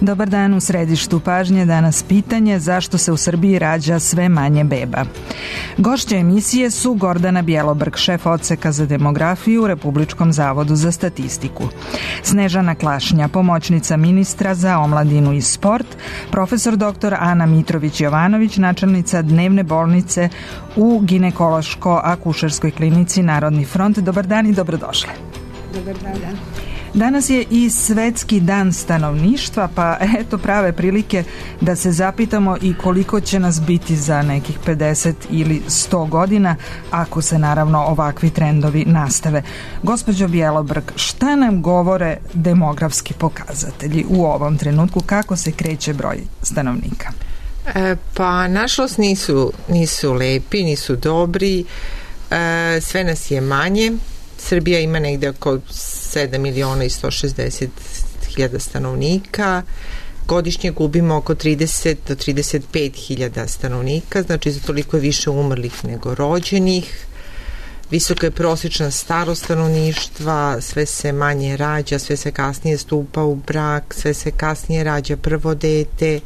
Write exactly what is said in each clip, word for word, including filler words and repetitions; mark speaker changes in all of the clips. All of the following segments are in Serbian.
Speaker 1: Dobar dan, u središtu pažnje danas pitanje zašto se u Srbiji rađa sve manje beba. Gošće emisije su Gordana Bjelobrg, šef odseka za demografiju u Republičkom zavodu za statistiku, Snežana Klašnja, pomoćnica ministra za omladinu i sport, profesor doktor Ana Mitrović-Jovanović, načelnica dnevne bolnice u ginekološko-akušerskoj klinici Narodni front. Dobar dan i dobrodošli.
Speaker 2: Dobar dan.
Speaker 1: Danas je i Svetski dan stanovništva, pa eto prave prilike da se zapitamo i koliko će nas biti za nekih pedeset ili sto godina, ako se naravno ovakvi trendovi nastave. Gospođo Bjelobrg, šta nam govore demografski pokazatelji u ovom trenutku, kako se kreće broj stanovnika?
Speaker 2: E, pa nažalost nisu, nisu lepi, nisu dobri, e, sve nas je manje. Srbija ima negde oko sedam miliona i sto šezdeset hiljada stanovnika. Godišnje gubimo oko trideset do trideset pet hiljada stanovnika, znači za toliko je više umrlih nego rođenih. Visoka je prosječna starost stanovništva, sve se manje rađa, sve se kasnije stupa u brak, sve se kasnije rađa prvo dete,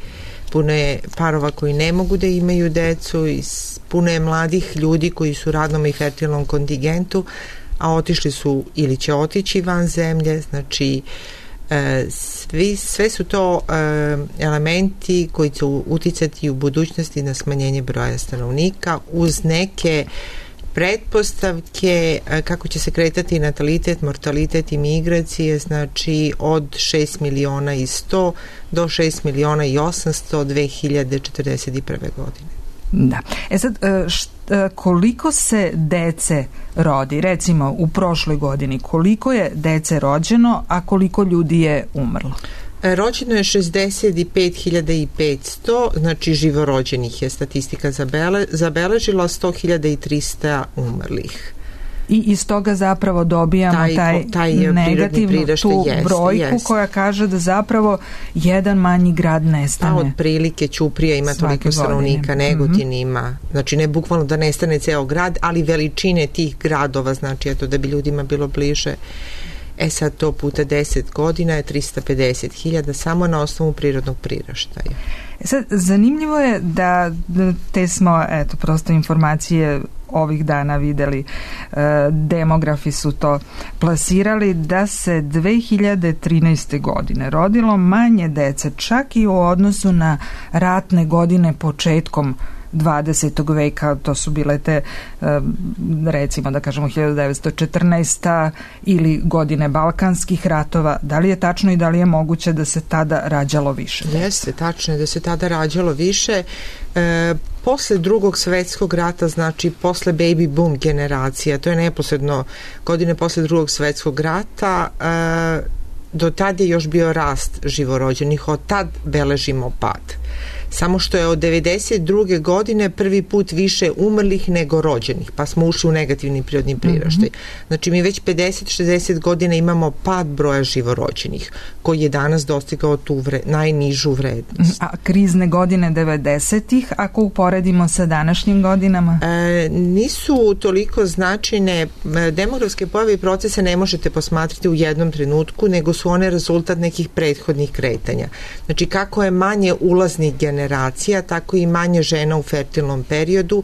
Speaker 2: puno je parova koji ne mogu da imaju decu i puno je mladih ljudi koji su u radnom i fertilnom kontingentu, a otišli su ili će otići van zemlje, znači e, svi, sve su to e, elementi koji će uticati u budućnosti na smanjenje broja stanovnika uz neke pretpostavke e, kako će se kretati natalitet, mortalitet i migracije, znači od šest miliona i sto do šest miliona i osamsto dve hiljade četrdeset prve godine.
Speaker 1: Da. E sad, šta, koliko se dece rodi? Recimo, u prošloj godini, koliko je dece rođeno, a koliko ljudi je umrlo?
Speaker 2: Rođeno je šezdeset pet hiljada petsto, znači živorođenih je statistika zabele, zabeležila, sto hiljada trista umrlih.
Speaker 1: I iz toga zapravo dobijamo taj, taj, taj negativnu tu jest, brojku jest. Koja kaže da zapravo jedan manji grad nestane.
Speaker 2: A otprilike Ćuprija ima toliko stanovnika, Negotin mm-hmm. ima, znači ne bukvalno da nestane ceo grad, ali veličine tih gradova, znači eto da bi ljudima bilo bliže. E sad to puta deset godina je trista pedeset hiljada samo na osnovu prirodnog priraštaja.
Speaker 1: E sad, zanimljivo je da te smo, eto, prosto informacije ovih dana videli, e, demografi su to plasirali, da se dve hiljade trinaeste. godine rodilo manje dece, čak i u odnosu na ratne godine početkom dvadesetog veka, to su bile te recimo da kažemo hiljadu devetsto četrnaesta. ili godine Balkanskih ratova. Da li je tačno i da li je moguće da se tada rađalo više?
Speaker 2: Jeste, tačno je da se tada rađalo više. E, posle drugog svetskog rata, znači posle baby boom generacija, to je neposredno godine posle drugog svetskog rata, e, do tad je još bio rast živorođenih, od tad beležimo pad. Samo što je od devedeset druge. godine prvi put više umrlih nego rođenih, pa smo ušli u negativni prirodni priraštaj. Mm-hmm. Znači mi već pedeset do šezdeset godina imamo pad broja živorođenih, koji je danas dostigao tu vre, najnižu vrednost.
Speaker 1: A krizne godine devedesetih, ako uporedimo sa današnjim godinama?
Speaker 2: E, nisu toliko značajne. Demografske pojave i procese ne možete posmatrati u jednom trenutku, nego su one rezultat nekih prethodnih kretanja. Znači kako je manje ulaznih generacija, generacija, tako i manje žena u fertilnom periodu.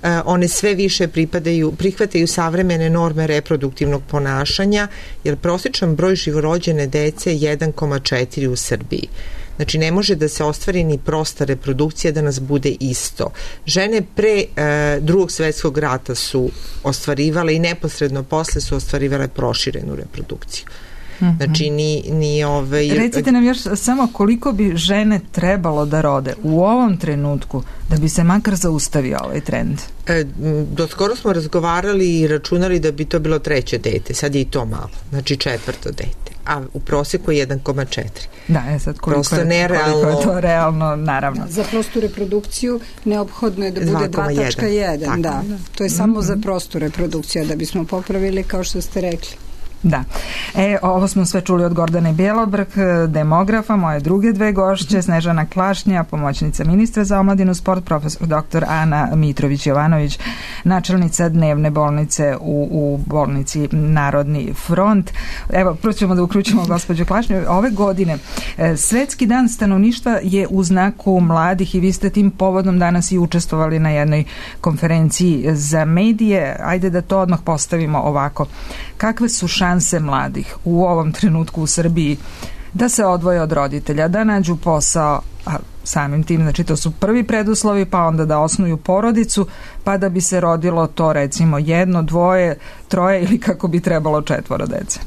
Speaker 2: E, one sve više pripadaju, prihvataju savremene norme reproduktivnog ponašanja, jer prosječan broj živorođene dece je jedan zarez četiri u Srbiji. Znači ne može da se ostvari ni prosta reprodukcija da nas bude isto. Žene pre e, drugog svetskog rata su ostvarivale i neposredno posle su ostvarivale proširenu reprodukciju. Znači ni, ni ove...
Speaker 1: Recite nam još samo koliko bi žene trebalo da rode u ovom trenutku da bi se makar zaustavio ovaj trend?
Speaker 2: E, do skoro smo razgovarali i računali da bi to bilo treće dete, sad je i to malo, znači četvrto dete, a u proseku je jedan zarez četiri.
Speaker 1: Da, je sad koliko, je, koliko je to realno, naravno.
Speaker 3: Za prostu reprodukciju neophodno je da bude dva zarez jedan, da. To je mm-hmm. samo za prostu reprodukciju, da bismo popravili kao što ste rekli.
Speaker 1: Da. E, ovo smo sve čuli od Gordane Bjelobrk, demografa, moje druge dve gošće, Snežana Klašnja, pomoćnica ministra za omladinu, sport, profesor doktor Ana Mitrović-Jovanović, načelnica dnevne bolnice u, u bolnici Narodni front. Evo, prvo ćemo da uključimo gospođu Klašnju. Ove godine Svetski dan stanovništva je u znaku mladih i vi ste tim povodom danas i učestvovali na jednoj konferenciji za medije. Ajde da to odmah postavimo ovako. Kakve su šanse mladih u ovom trenutku u Srbiji da se odvoje od roditelja, da nađu posao, a samim tim, znači to su prvi preduslovi, pa onda da osnuju porodicu, pa da bi se rodilo to recimo jedno, dvoje, troje ili kako bi trebalo četvoro dece?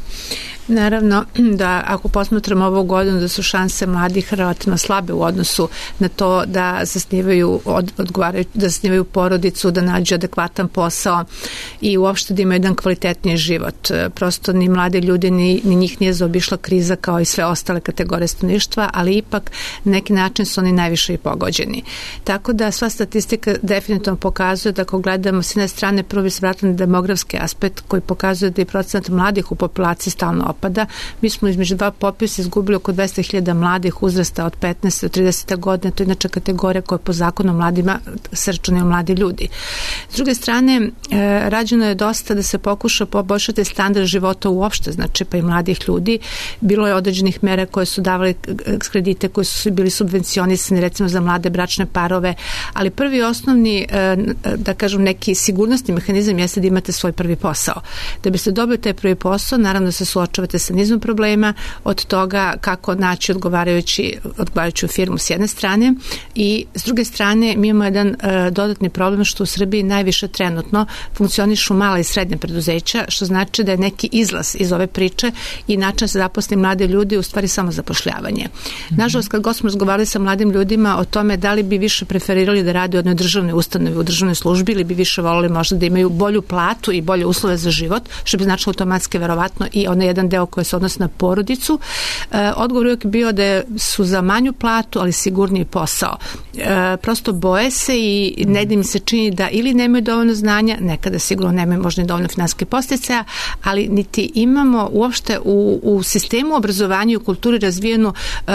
Speaker 4: Naravno da ako posmatramo ovu godinu da su šanse mladih relativno slabe u odnosu na to da zasnivaju, od, odgovaraju, da zasnivaju porodicu, da nađu adekvatan posao i uopšte da imaju jedan kvalitetniji život. Prosto ni mlade ljudi, ni, ni njih nije zaobišla kriza kao i sve ostale kategorije stanovništva, ali ipak na neki način su oni najviše i pogođeni. Tako da sva statistika definitivno pokazuje da ako gledamo s jedne strane prvo bi se vratili na demografski aspekt koji pokazuje da je procenat mladih u populaciji stalno opada. Mi smo između dva popisa izgubili oko dvesta hiljada mladih uzrasta od petnaeste do tridesete godine. To je inače kategorija koja po zakonu mladima se računaju mladi ljudi. S druge strane, e, rađeno je dosta da se pokuša poboljšati standard života uopšte, znači pa i mladih ljudi. Bilo je određenih mera koje su davali kredite, koji su bili subvencionisani recimo za mlade bračne parove, ali prvi osnovni, e, da kažem, neki sigurnosni mehanizam jeste da imate svoj prvi posao. Da biste dobili taj prvi posao, naravno se suočavate sa nizom problema, od toga kako naći odgovarajući, odgovarajuću firmu s jedne strane i s druge strane mi imamo jedan e, dodatni problem što u Srbiji najviše trenutno funkcionišu mala i srednja preduzeća, što znači da je neki izlaz iz ove priče i način da se zaposli mlade ljudi u stvari samo zapošljavanje. Mm-hmm. Nažalost, kad god smo razgovarali sa mladim ljudima o tome da li bi više preferirali da rade u jednoj državnoj ustanovi, u državnoj službi ili bi više volili možda da imaju bolju platu i bolje uslove za život, što bi značilo automatski verovatno i onaj jedan deo koji se odnosi na porodicu. E, odgovor uvijek bio da su za manju platu, ali sigurniji posao. E, prosto boje se i ne da mi se čini da ili nemaju dovoljno znanja, nekada sigurno nemaju možda i dovoljno finansijskih podsticaja, ali niti imamo uopšte u, u sistemu obrazovanja i u kulturi razvijenu e,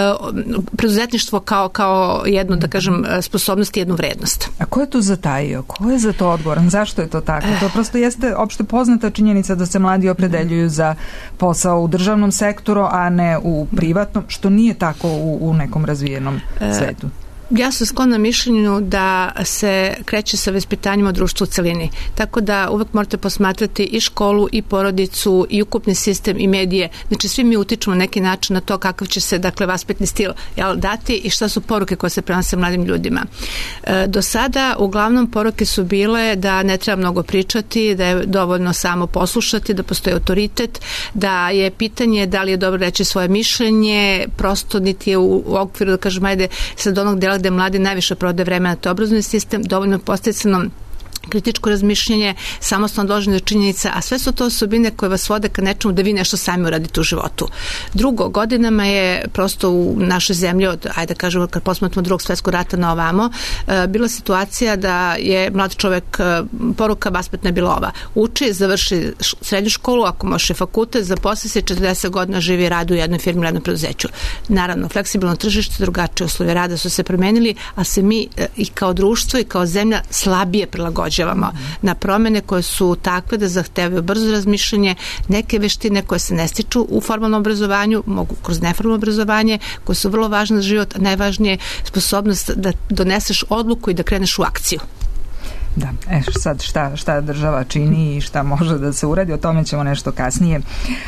Speaker 4: preduzetništvo kao, kao jednu, da kažem, sposobnost i jednu vrednost.
Speaker 1: A ko je to zatajio? Ko je za to odgovoran? Zašto je to tako? To prosto jeste opšte poznata činjenica da se mladi opredeljuju za posao u državnom sektoru, a ne u privatnom, što nije tako u, u nekom razvijenom svetu.
Speaker 4: Ja sam sklona mišljenju da se kreće sa vaspitanjem od društva u celini. Tako da uvek morate posmatrati i školu, i porodicu, i ukupni sistem, i medije. Znači svi mi utičemo na neki način na to kakav će se, dakle, vaspitni stil jel, dati i šta su poruke koje se prenose mladim ljudima. E, do sada uglavnom poruke su bile da ne treba mnogo pričati, da je dovoljno samo poslušati, da postoji autoritet, da je pitanje da li je dobro reći svoje mišljenje, prosto niti je u, u okviru, da kažem, ajde, sad onog dela gde mladi najviše prode vremena, to je obrazovni sistem, dovoljno posticano kritičko razmišljanje, samostalno dolaženje do činjenica, a sve su to osobine koje vas vode ka nečemu da vi nešto sami uradite u životu. Drugo, godinama je prosto u našoj zemlji, od, ajde da kažemo, kad posmatramo drugog svetskog rata na ovamo, e, bila situacija da je mlad čovek, e, poruka vaspitna je bila ova. Uči, završi srednju školu, ako može fakultet, zaposli se, četrdeset godina živi i radi u jednoj firmi, u jednom preduzeću. Naravno, fleksibilno tržište, drugačije uslovi rada su se promenili, a se mi e, i kao društvo i kao zemlja slabije prilagođavamo na promene koje su takve da zahtevaju brzo razmišljanje, neke veštine koje se ne stiču u formalnom obrazovanju, mogu kroz neformalno obrazovanje, koje su vrlo važne za život, a najvažnije sposobnost da doneseš odluku i da kreneš u akciju.
Speaker 1: Da, e sad šta, šta država čini i šta može da se uradi, o tome ćemo nešto kasnije.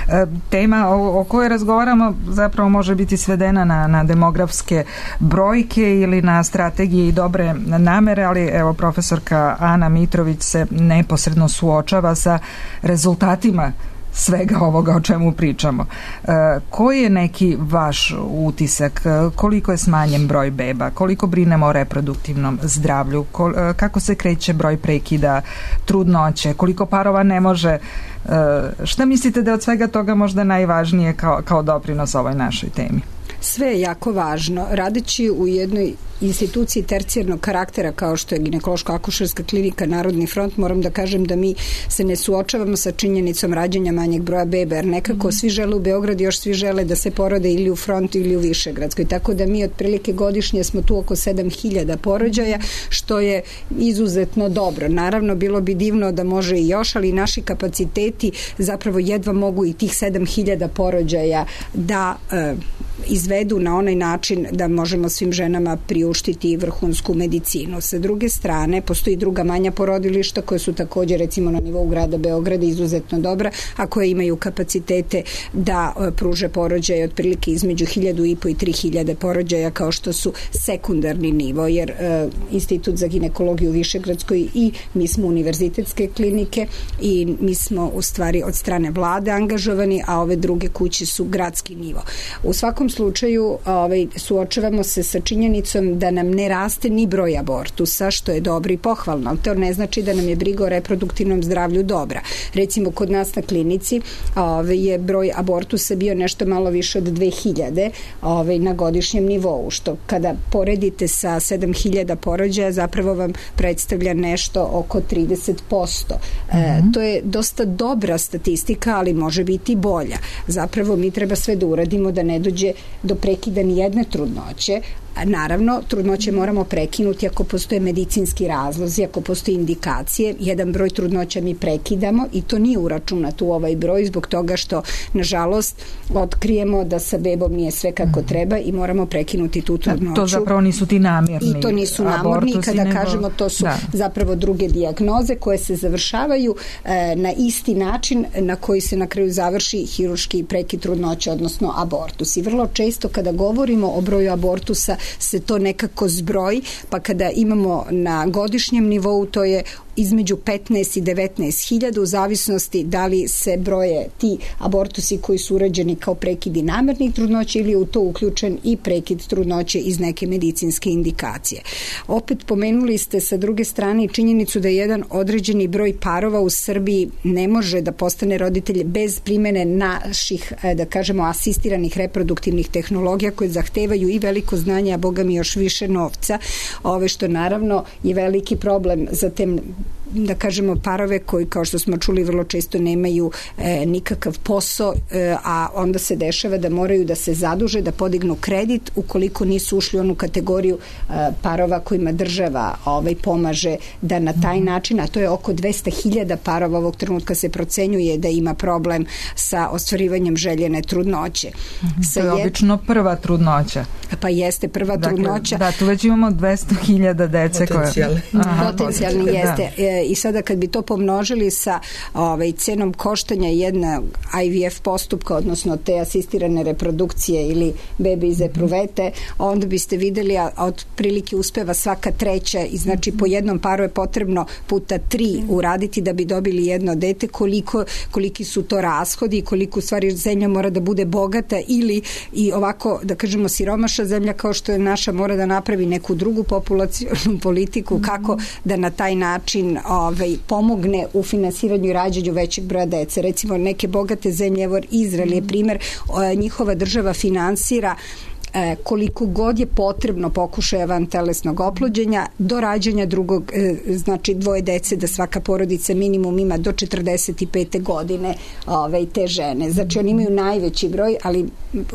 Speaker 1: E, tema o, o kojoj razgovaramo zapravo može biti svedena na, na demografske brojke ili na strategije i dobre namere, ali evo profesorka Ana Mitrović se neposredno suočava sa rezultatima svega ovoga o čemu pričamo. E, koji je neki vaš utisak? Koliko je smanjen broj beba? Koliko brinemo o reproduktivnom zdravlju? Kol, e, kako se kreće broj prekida, trudnoće? Koliko parova ne može? E, šta mislite da je od svega toga možda najvažnije kao, kao doprinos ovoj našoj temi?
Speaker 3: Sve je jako važno. Radeći u jednoj instituciji tercijarnog karaktera kao što je ginekološko-akušerska klinika Narodni front, moram da kažem da mi se ne suočavamo sa činjenicom rađanja manjeg broja bebe, jer nekako mm. svi žele u Beograd, još svi žele da se porode ili u Frontu ili u Višegradskoj, tako da mi otprilike godišnje smo tu oko sedam hiljada porođaja, što je izuzetno dobro. Naravno, bilo bi divno da može i još, ali naši kapaciteti zapravo jedva mogu i tih sedam hiljada porođaja da e, izvedu na onaj način da možemo svim ženama priuštiti vrhunsku medicinu. Sa druge strane, postoji druga manja porodilišta koje su također recimo na nivou grada Beograda izuzetno dobra, a koje imaju kapacitete da e, pruže porođaje otprilike između hiljadu i po i tri hiljade porođaja kao što su sekundarni nivo, jer e, Institut za ginekologiju u Višegradskoj i mi smo univerzitetske klinike i mi smo u stvari od strane vlade angažovani, a ove druge kuće su gradski nivo. U svakom slučaju ovaj, suočavamo se sa činjenicom da nam ne raste ni broj abortusa, što je dobro i pohvalno, ali to ne znači da nam je briga o reproduktivnom zdravlju dobra. Recimo, kod nas na klinici ovaj, je broj abortusa bio nešto malo više od dve hiljade ovaj, na godišnjem nivou, što kada poredite sa sedam hiljada porođaja zapravo vam predstavlja nešto oko trideset posto. Mm-hmm. E, to je dosta dobra statistika, ali može biti bolja. Zapravo mi treba sve da uradimo da ne dođe do prekida ni jedne trudnoće. Naravno, trudnoće moramo prekinuti ako postoje medicinski razlozi, ako postoje indikacije. Jedan broj trudnoća mi prekidamo i to nije uračunat u ovaj broj zbog toga što, nažalost, otkrijemo da sa bebom nije sve kako treba i moramo prekinuti tu trudnoću.
Speaker 1: To zapravo nisu ti namjerni
Speaker 3: I to nisu namjerni, kada nego... kažemo to su da. zapravo druge dijagnoze koje se završavaju e, na isti način na koji se na kraju završi hirurški prekid trudnoće, odnosno abortus. I vrlo često kada govorimo o broju abortusa se to nekako zbroji, pa kada imamo na godišnjem nivou to je između petnaest i devetnaest hiljada u zavisnosti da li se broje ti abortusi koji su urađeni kao prekidi namernih trudnoća ili je u to uključen i prekid trudnoće iz neke medicinske indikacije. Opet pomenuli ste sa druge strane činjenicu da jedan određeni broj parova u Srbiji ne može da postane roditelj bez primene naših, da kažemo, asistiranih reproduktivnih tehnologija koje zahtevaju i veliko znanje, a boga mi još više novca, ove što naravno je veliki problem za te, da kažemo, parove koji, kao što smo čuli, vrlo često nemaju e, nikakav posao, e, a onda se dešava da moraju da se zaduže, da podignu kredit ukoliko nisu ušli u onu kategoriju e, parova kojima država ovaj, pomaže da na taj način, a to je oko dvesta hiljada parova ovog trenutka se procenjuje da ima problem sa ostvarivanjem željene trudnoće.
Speaker 1: Mm-hmm. To je jed... obično prva trudnoća.
Speaker 3: Pa jeste prva dakle, trudnoća.
Speaker 1: Da, tu već imamo dvesta hiljada dece
Speaker 2: Potencijalni.
Speaker 1: koje... Aha,
Speaker 3: Potencijalni jeste. Da. I sada kad bi to pomnožili sa ovaj, cenom koštanja jedna I V F postupka, odnosno te asistirane reprodukcije ili bebe iz epruvete, onda biste videli, a otprilike uspeva svaka treća i znači po jednom paru je potrebno puta tri uraditi da bi dobili jedno dete, koliko, koliki su to rashodi i koliko u stvari zemlja mora da bude bogata ili i ovako, da kažemo, siromašna zemlja kao što je naša mora da napravi neku drugu populacionu politiku kako da na taj način ovaj, pomogne u finansiranju i rađanju većeg broja dece. Recimo neke bogate zemlje, evo Izrael je primjer, njihova država finansira koliko god je potrebno pokušaja vantelesnog oplođenja do rađanja drugog, znači dvoje dece, da svaka porodica minimum ima do četrdeset pete godine ove, te žene. Znači oni imaju najveći broj, ali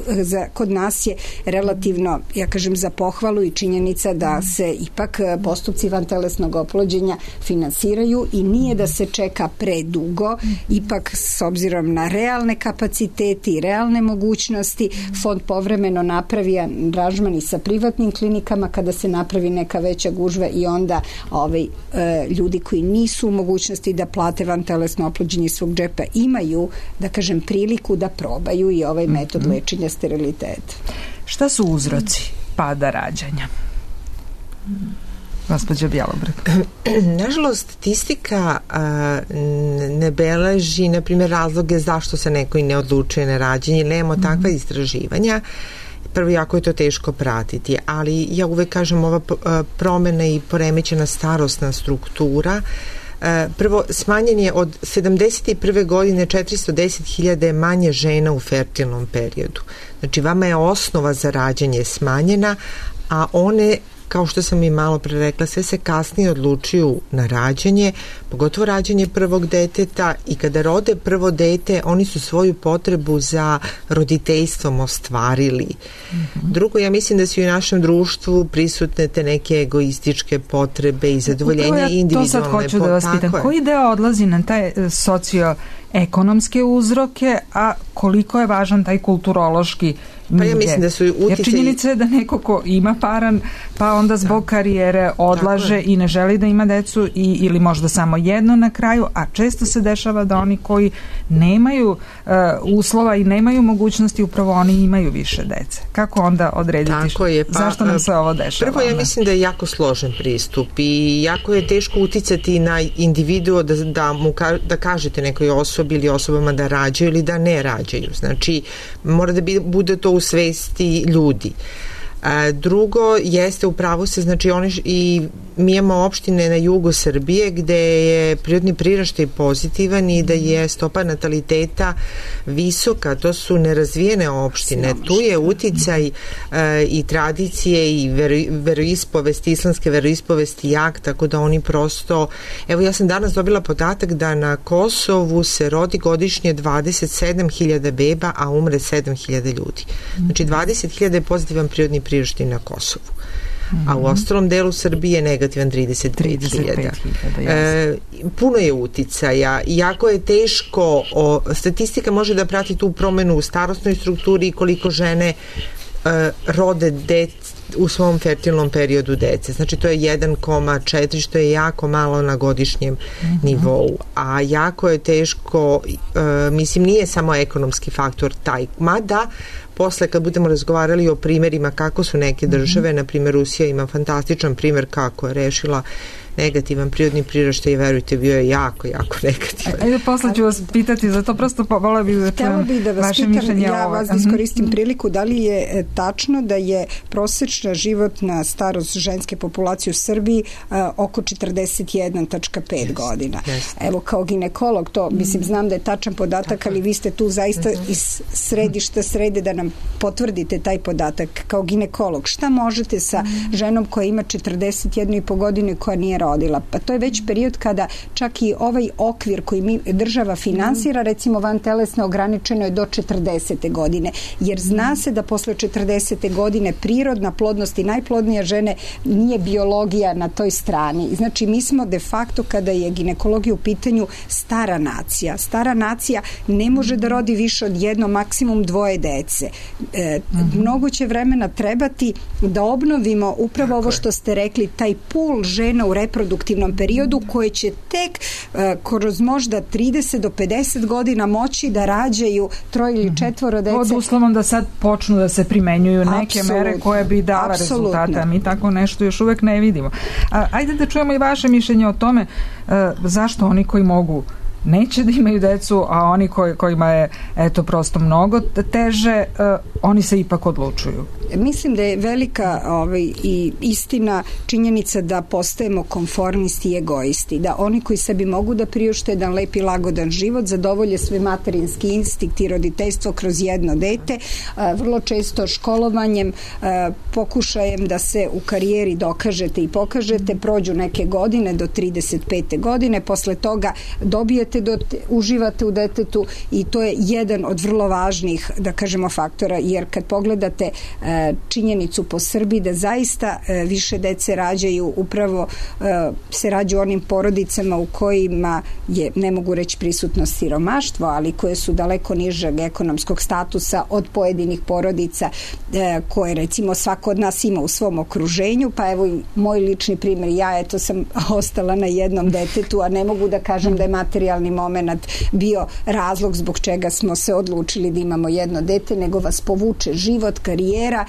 Speaker 3: za, kod nas je relativno, ja kažem, za pohvalu i činjenica da se ipak postupci vantelesnog oplođenja finansiraju i nije da se čeka predugo, ipak s obzirom na realne kapacitete i realne mogućnosti, fond povremeno napravi aranžman i sa privatnim klinikama kada se napravi neka veća gužva i onda ovaj, e, ljudi koji nisu u mogućnosti da plate vantelesno oplođenje iz svog džepa imaju, da kažem, priliku da probaju i ovaj metod mm-hmm. lečenja steriliteta.
Speaker 1: Šta su uzroci pada rađanja? Gospođa Bjelobrad.
Speaker 2: Nažalost, statistika a, ne beleži, na primjer, razloge zašto se neko i ne odlučuje na rađenje. Nemamo mm-hmm. takva istraživanja. Prvo, jako je to teško pratiti, ali ja uvek kažem, ova promena i poremećena starosna struktura, prvo, smanjen je od sedamdeset prve godine četiristo deset hiljada manje žena u fertilnom periodu. Znači, vama je osnova za rađanje smanjena, a one kao što sam i malo pre rekla, sve se kasnije odlučuju na rađanje, pogotovo rađanje prvog deteta, i kada rode prvo dete, oni su svoju potrebu za roditeljstvom ostvarili. Mm-hmm. Drugo, ja mislim da su i u našem društvu prisutne te neke egoističke potrebe i zadovoljenja ja individualne. To sad
Speaker 1: hoću da vas pitam. Koji deo odlazi na taj socioekonomske uzroke, a koliko je važan taj kulturološki?
Speaker 2: Pa ja mislim da su utice...
Speaker 1: Jer činjenica je da neko ko ima paran, pa onda zbog karijere odlaže i ne želi da ima decu i, ili možda samo jedno na kraju, a često se dešava da oni koji nemaju uh, uslova i nemaju mogućnosti, upravo oni imaju više dece. Kako onda odrediti?
Speaker 2: Tako je, pa,
Speaker 1: zašto nam se ovo dešava?
Speaker 2: Prvo, ja mislim da je jako složen pristup i jako je teško uticati na individuo da, da, mu ka, da kažete nekoj osobi ili osobama da rađaju ili da ne rađaju. Znači, mora da bi, bude to u svesti ljudi. A, drugo, jeste u pravu se, znači oni i mi imamo opštine na jugu Srbije gde je prirodni priraštaj pozitivan i da je stopa nataliteta visoka, to su nerazvijene opštine. Tu je uticaj a, i tradicije i vero, veroispovesti, islamske veroispovesti jak, tako da oni prosto, evo ja sam danas dobila podatak da na Kosovu se rodi godišnje dvadeset sedam hiljada beba, a umre sedam hiljada ljudi. Znači dvadeset hiljada je pozitivan prirodni priraštaj na Kosovu. Mm-hmm. A u ostalom delu Srbije negativan trideset pet hiljada. E, puno je uticaja. Jako je teško, o, statistika može da prati tu promenu u starosnoj strukturi i koliko žene e, rode dece u svom fertilnom periodu dece. Znači to je jedan zarez četiri, što je jako malo na godišnjem mm-hmm. nivou. A jako je teško, e, mislim, nije samo ekonomski faktor taj, mada posle kad budemo razgovarali o primerima kako su neke države, mm-hmm. na primjer Rusija ima fantastičan primer kako je rešila negativan prirodni priraštaj i verujte, bio je jako, jako negativan.
Speaker 1: Ajde, posle ću vas pitati, zato prosto vola bih da čujem vaše mišljenje.
Speaker 3: Ja vas da iskoristim priliku, da li je tačno da je prosečna životna starost ženske populacije u Srbiji a, oko četrdeset jedan zarez pet yes, godina. Yes. Evo, kao ginekolog, to, mislim, znam da je tačan podatak, tako, ali vi ste tu zaista mm-hmm. iz središta srede da nam potvrdite taj podatak. Kao ginekolog, šta možete sa mm-hmm. ženom koja ima četrdeset jednu i po godinu i koja nije rodila? Pa to je već period kada čak i ovaj okvir koji mi država finansira, recimo vantelesno ograničeno je do četrdesete godine, jer zna se da posle četrdesete godine prirodna plodnost i najplodnija žene nije biologija na toj strani. Znači mi smo de facto, kada je ginekologija u pitanju, stara nacija. Stara nacija ne može da rodi više od jedno, maksimum dvoje dece. E, mm-hmm. Mnogo će vremena trebati da obnovimo upravo Tako ovo što ste rekli, taj pul žena u reproduktivnom periodu koje će tek uh, kroz možda trideset do pedeset godina moći da rađaju troje ili četvoro dece.
Speaker 1: Pod uslovom da sad počnu da se primenjuju neke Absolutno. mere koje bi dala Absolutno. rezultata. Mi tako nešto još uvek ne vidimo. A, ajde da čujemo i vaše mišljenje o tome uh, zašto oni koji mogu neće da imaju decu, a oni koji, kojima je eto prosto mnogo teže, uh, oni se ipak odlučuju.
Speaker 3: Mislim da je velika ovaj, i istina činjenica da postajemo konformisti i egoisti, da oni koji sebi mogu da priušte jedan lep i lagodan život, zadovolje svoj materinski instinkt i roditeljstvo kroz jedno dete, uh, vrlo često školovanjem, uh, pokušajem da se u karijeri dokažete i pokažete, prođu neke godine do trideset pete godine, posle toga dobijete Do, uživate u detetu i to je jedan od vrlo važnih, da kažemo, faktora, jer kad pogledate e, činjenicu po Srbiji da zaista e, više dece rađaju, upravo e, se rađaju onim porodicama u kojima je, ne mogu reći prisutno siromaštvo, ali koje su daleko nižeg ekonomskog statusa od pojedinih porodica e, koje recimo svako od nas ima u svom okruženju, pa evo i moj lični primjer, ja eto sam ostala na jednom detetu, a ne mogu da kažem da je materijalni moment bio razlog zbog čega smo se odlučili da imamo jedno dete, nego vas povuče život, karijera,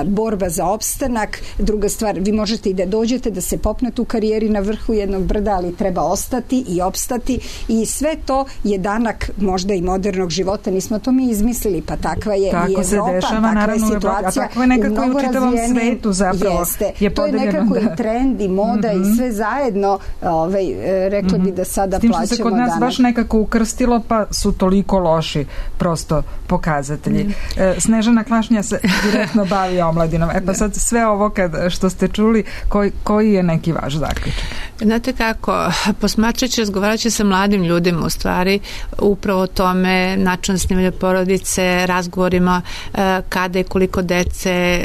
Speaker 3: borba za opstanak. Druga stvar, vi možete i da dođete da se popnete u karijeri na vrhu jednog brda, ali treba ostati i opstati i sve to je danak možda i modernog života. Nismo to mi izmislili, pa takva je
Speaker 1: tako
Speaker 3: i Evropa,
Speaker 1: se dešava,
Speaker 3: takva
Speaker 1: naravno,
Speaker 3: je situacija.
Speaker 1: A tako je nekako u čitavom svetu zapravo.
Speaker 3: Jeste.
Speaker 1: Je
Speaker 3: to je nekako da. i trend i moda mm-hmm. i sve zajedno, ovaj, rekla bi da sada plaćamo danas.
Speaker 1: Baš nekako ukrstilo, pa su toliko loši prosto pokazatelji. Mm. E, Snežana Klašnja se direktno aktivno bavi omladinom. E pa sad sve ovo kad, što ste čuli, koji, koji je neki vaš zaključak?
Speaker 4: Znate kako, posmatrajući, razgovarajući sa mladim ljudima u stvari, upravo o tome, način snimanja porodice, razgovorima kada i koliko dece,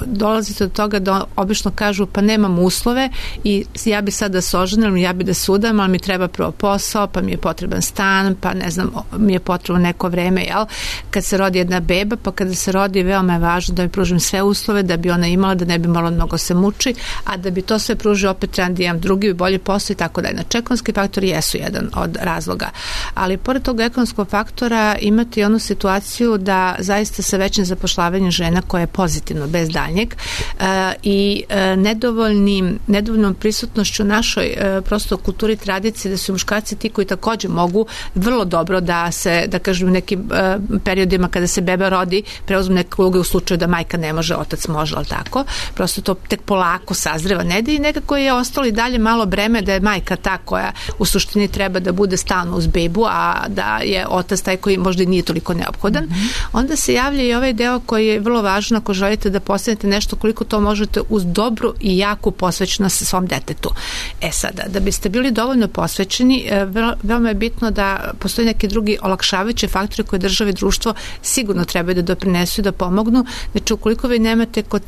Speaker 4: dolazite do toga da obično kažu pa nemam uslove i ja bi sad da se oženim, ja bi da se udam, ali mi treba prvo posao, pa mi je potreban stan, pa ne znam, mi je potrebno neko vreme, jel? Kad se rodi jedna beba, pa kada se rodi, veoma je važno da mi pružim sve uslove, da bi ona imala, da ne bi malo mnogo se muči, a da bi to sve pružio, opet trebam da imam drugi bolji posao i tako dalje. Znači, ekonomski faktori jesu jedan od razloga. Ali pored tog ekonomskog faktora imate i onu situaciju da zaista sa većim zapošljavanjem žena koja je pozitivno, bez daljnjeg, e, i e, nedovoljnim, nedovoljnom prisutnošću našoj e, prosto kulturi, tradicije, da su muškarci ti koji takođe mogu vrlo dobro da se, da kažem, u nekim e, periodima kada se beba rodi, preuzmu neke uloge u slučaju da majka ne može, otac može, ali tako. Prosto to tek polako sazreva nede i nekako je ostalo i dalje malo breme da je majka ta koja u suštini treba da bude stalno uz bebu, a da je otac taj koji možda nije toliko neophodan. Mm-hmm. Onda se javlja i ovaj deo koji je vrlo važan ako želite da postanete nešto, koliko to možete uz dobru i jaku posvećenost svom detetu. E sada, da biste bili dovoljno posvećeni, veoma je bitno da postoji neki drugi olakšavajući faktori koje države i društvo sigurno trebaju da doprinesu i da pomognu. Znači, ukoliko vi nemate kod,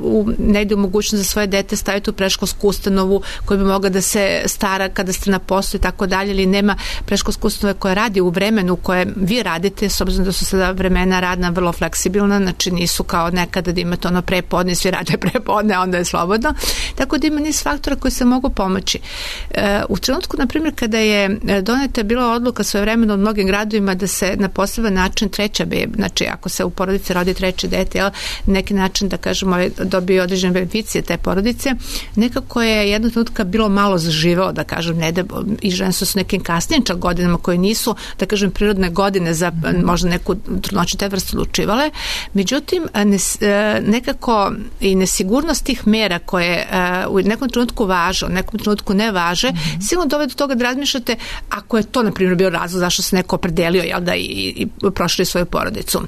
Speaker 4: u, negde u mogućnost za svoje dete staviti u predškolsku ustanovu koja bi mogla da se stara kada ste na poslu i tako dalje, ili nema predškolske ustanove koja radi u vremenu koje vi radite, s obzirom da su sada vremena radna vrlo fleksibilna, znači nisu kao nekada da imate ono prepodne, svi rade prepodne, onda je slobodno. Tako da ima niz faktora koji se mogu pomoći. E, u trenutku, na primjer, kada je doneta bila odluka svoje vremena u mnogim gradovima da se na poseban način treća beba, znači ako se u porodici rodi treće dete, jel, neki način da kažemo dobije određene beneficije te porodice, nekako je jednog trenutka bilo malo zaživeo, da kažem, ne da, i žene su s nekim kasnijim čak godinama koje nisu, da kažem, prirodne godine za možda neku trudnoću te vrste odlučivale. Međutim, nekako i nesigurnost tih mera koje u nekom trenutku važe, u nekom trenutku ne važe, mm-hmm. sigurno dovede do toga da razmišljate ako je to, na primjer, bio razlog zašto se neko opredelio, jel, da i, i prošli svoju porodicu.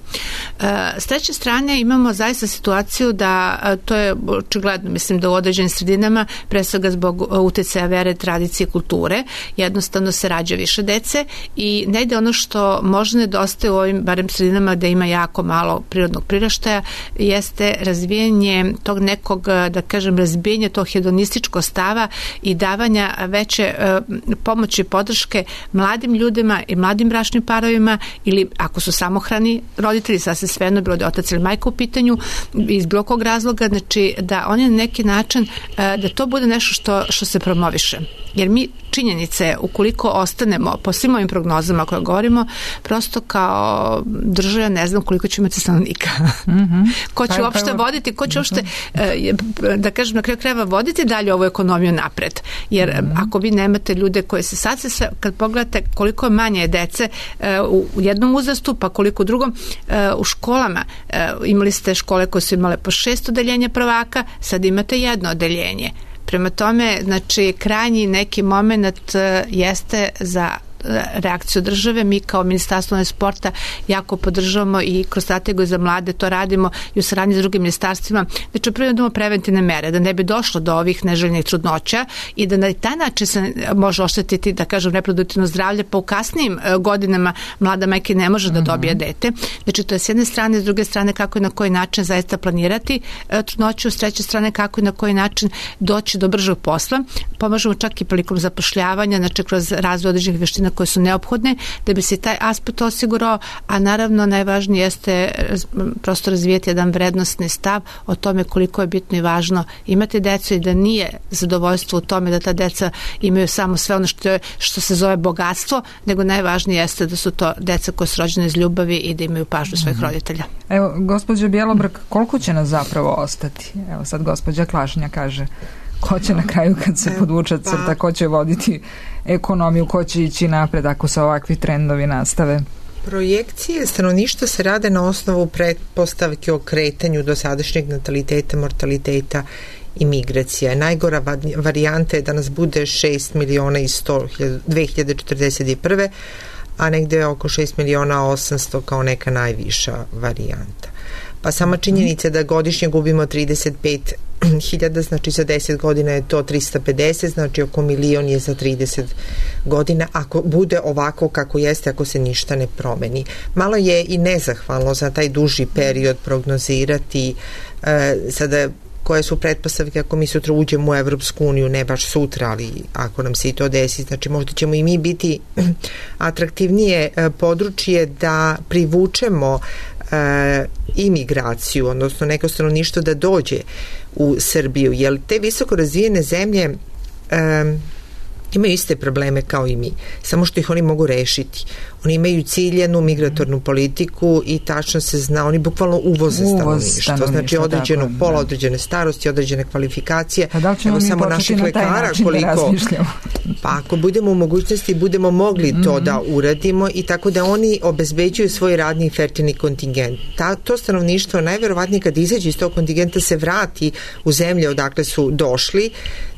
Speaker 4: S treće strane imamo zaista situaciju da to je očigledno, mislim da u određenim sredinama, pre svega zbog uticaja vere, tradicije, kulture, jednostavno se rađa više dece i negde ono što možda nedostaje u ovim, barem sredinama da ima jako malo prirodnog priraštaja, jeste razvijanje tog nekog, da kažem, razbijanje tog hedonističkog stava i davanja veće uh, pomoći i podrške mladim ljudima i mladim bračnim parovima, ili ako su samohrani roditelji, sasvim svejedno, bilo da je otac ili majka u pitanju, iz bilo kog razloga, znači da oni na neki način, uh, da to bude nešto što, što se promoviše. Jer mi činjenice, ukoliko ostanemo po svim ovim prognozama koje govorimo, prosto kao država ne znam koliko će imati stanovnika. Mm-hmm. Ko će uopšte voditi, ko će uopšte, da kažem, na kraju krajeva voditi dalje ovu ekonomiju napred. Jer mm-hmm. ako vi nemate ljude koje se sad se sve, kad pogledate koliko manje dece u jednom uzrastu, pa koliko u drugom, u školama imali ste škole koje su imale po šest odeljenja prvaka, sad imate jedno odeljenje. Prema tome, znači, krajnji neki moment jeste za reakciju države. Mi kao Ministarstvo sporta jako podržavamo i kroz strategiju za mlade to radimo i u saradnji s drugim ministarstvima. Znači, prvo idemo preventivne mere, da ne bi došlo do ovih neželjenih trudnoća i da na taj način se može oštetiti, da kažem, reproduktivno zdravlje, pa u kasnijim godinama mlada majka ne može da dobije dete. Znači, to je s jedne strane, s druge strane kako i na koji način zaista planirati trudnoću, s treće strane kako i na koji način doći do bržeg posla. Pomažemo čak i prilikom zapošljavanja, znači kroz razvoj određenih veština koje su neophodne da bi se taj aspekt osigurao, a naravno najvažnije jeste prosto razvijeti jedan vrednostni stav o tome koliko je bitno i važno imati decu i da nije zadovoljstvo u tome da ta deca imaju samo sve ono što, je, što se zove bogatstvo, nego najvažnije jeste da su to deca koje su rođene iz ljubavi i da imaju pažnju svojih roditelja.
Speaker 1: Evo, gospođo Bjelobrk, koliko će nas zapravo ostati? Evo sad gospođa Klašnja kaže ko će na kraju kad se podvuče crta, ko će voditi ekonomiju, ko će ići napred ako se ovakvi trendovi nastave?
Speaker 2: Projekcije stanovništva se rade na osnovu pretpostavke o kretanju dosadašnjeg nataliteta, mortaliteta i migracija. Najgora varijanta je da nas bude šest miliona i sto dve hiljade četrdeset prve, a negde oko šest miliona osamsto kao neka najviša varijanta. Pa sama činjenica da godišnje gubimo trideset pet hiljada, znači za deset godina je to trista pedeset, znači oko milion je za trideset godina, ako bude ovako kako jeste, ako se ništa ne promeni. Malo je i nezahvalno za taj duži period prognozirati e, sada koje su pretpostavke ako mi sutra uđemo u Evropsku uniju, ne baš sutra, ali ako nam se i to desi, znači možda ćemo i mi biti atraktivnije područje da privučemo e, imigraciju, odnosno neko stanovništvo da dođe u Srbiju, jer te visoko razvijene zemlje e, imaju iste probleme kao i mi, samo što ih oni mogu rešiti. Oni imaju ciljenu migratornu politiku i tačno se zna, oni bukvalno uvoze stanovništvo, znači određenog pola, određene starosti, određene kvalifikacije.
Speaker 1: Pa da li ćemo
Speaker 2: Evo
Speaker 1: mi
Speaker 2: samo
Speaker 1: početi
Speaker 2: naših
Speaker 1: na taj
Speaker 2: lekara,
Speaker 1: način
Speaker 2: koliko,
Speaker 1: da razmišljamo?
Speaker 2: Pa ako budemo u mogućnosti, budemo mogli to mm-hmm. da uradimo i tako da oni obezbeđuju svoj radni i fertilni kontingent. Ta, to stanovništvo najverovatnije kad izađe iz tog kontingenta se vrati u zemlje odakle su došli,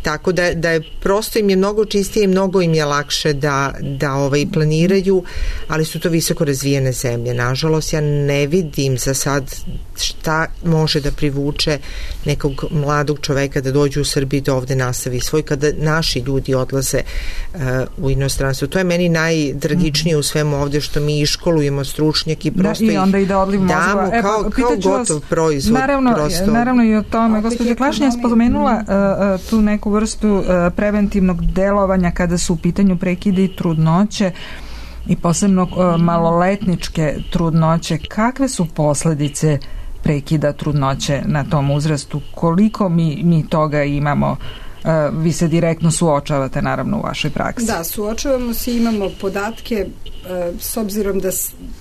Speaker 2: tako da, da je prosto im je mnogo čistije i mnogo im je lakše da, da ovaj, planiraju, ali su to visoko razvijene zemlje. Nažalost, ja ne vidim za sad šta može da privuče nekog mladog čoveka da dođe u Srbiji da ovde nastavi svoj, kada naši ljudi odlaze uh, u inostranstvo. To je meni najtragičnije u svemu ovde, što mi iškolujemo stručnjaki, prosto
Speaker 1: da, i onda ide odliv mozgova.
Speaker 2: E, kao, kao gotov vas, proizvod.
Speaker 1: Naravno,
Speaker 2: prosto.
Speaker 1: naravno i o tome. Gospođa Klašnja je spomenula uh, tu neku vrstu uh, preventivnog delovanja kada su u pitanju prekide i trudnoće i posebno uh, maloletničke trudnoće. Kakve su posledice prekida trudnoće na tom uzrastu? Koliko mi, mi toga imamo? Uh, vi se direktno suočavate naravno u vašoj praksi.
Speaker 3: Da, suočavamo se, imamo podatke uh, s obzirom da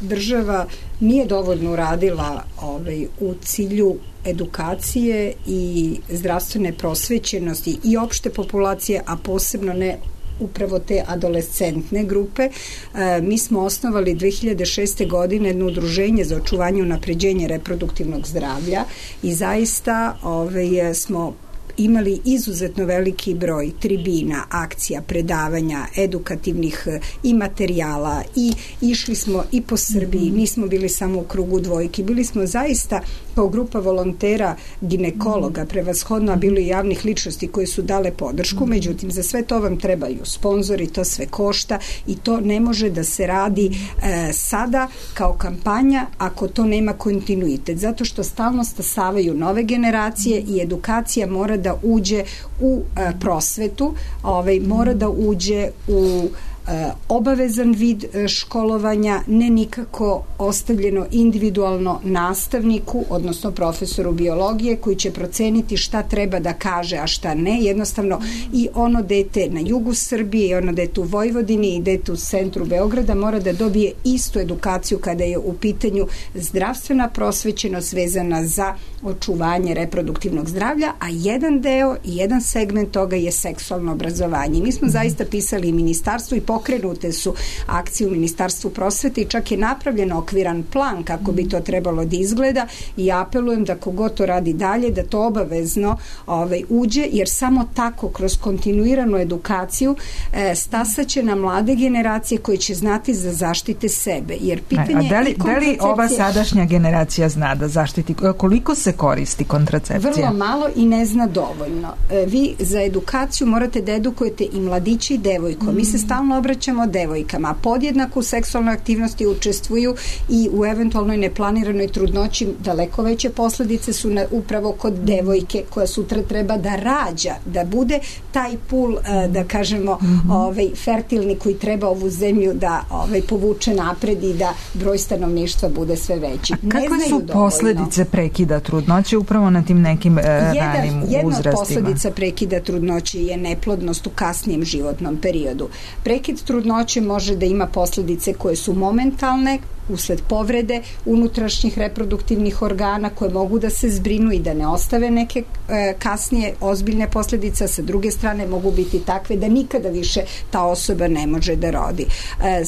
Speaker 3: država nije dovoljno uradila ovaj, u cilju edukacije i zdravstvene prosvećenosti i opšte populacije, a posebno ne upravo te adolescentne grupe. E, mi smo osnovali dve hiljade šeste. godine jedno udruženje za očuvanje i unapređenje reproduktivnog zdravlja i zaista ovaj, smo imali izuzetno veliki broj tribina, akcija, predavanja, edukativnih i materijala i išli smo i po Srbiji, nismo bili samo u krugu dvojki, bili smo zaista kao grupa volontera ginekologa, prevashodno, a bilo i javnih ličnosti koji su dale podršku, međutim za sve to vam trebaju sponzori, to sve košta i to ne može da se radi e, sada kao kampanja ako to nema kontinuitet, zato što stalno stasavaju nove generacije i edukacija mora da uđe u e, prosvetu, ovaj, mora da uđe u e, obavezan vid e, školovanja, ne nikako ostavljeno individualno nastavniku, odnosno profesoru biologije koji će proceniti šta treba da kaže, a šta ne. Jednostavno i ono dete na jugu Srbije i ono dete u Vojvodini i dete u centru Beograda mora da dobije istu edukaciju kada je u pitanju zdravstvena prosvećenost vezana za očuvanje reproduktivnog zdravlja, a jedan deo i jedan segment toga je seksualno obrazovanje. Mi smo zaista pisali i ministarstvu i pokrenute su akcije u Ministarstvu prosvete i čak je napravljen okviran plan kako bi to trebalo da izgleda i apelujem da kogod to radi dalje, da to obavezno ovaj, uđe, jer samo tako kroz kontinuiranu edukaciju e, stasaće na mlade generacije koje će znati za zaštite sebe. Jer pitanje
Speaker 1: a da li, da li ova sadašnja generacija zna da zaštiti, koliko se koristi kontracepcija?
Speaker 3: Vrlo malo i ne zna dovoljno. E, vi za edukaciju morate da edukujete i mladići i devojko. Mm. Mi se stalno obraćamo devojkama. Podjednako u seksualnoj aktivnosti učestvuju i u eventualnoj neplaniranoj trudnoći daleko veće posledice su na, upravo kod devojke koja sutra treba da rađa, da bude taj pul, e, da kažemo, mm-hmm. ovaj, fertilni koji treba ovu zemlju da ovaj, povuče napred i da broj stanovništva bude sve veći.
Speaker 1: A kakve su dovoljno posledice prekida trudnoće upravo na tim nekim e, ranim uzrastima?
Speaker 3: Jedna od posledica prekida trudnoće je neplodnost u kasnijem životnom periodu. Prekid trudnoće može da ima posledice koje su momentalne, usled povrede unutrašnjih reproduktivnih organa koje mogu da se zbrinu i da ne ostave neke e, kasnije ozbiljne posljedice, sa druge strane mogu biti takve da nikada više ta osoba ne može da rodi. E,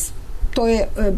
Speaker 3: to je e,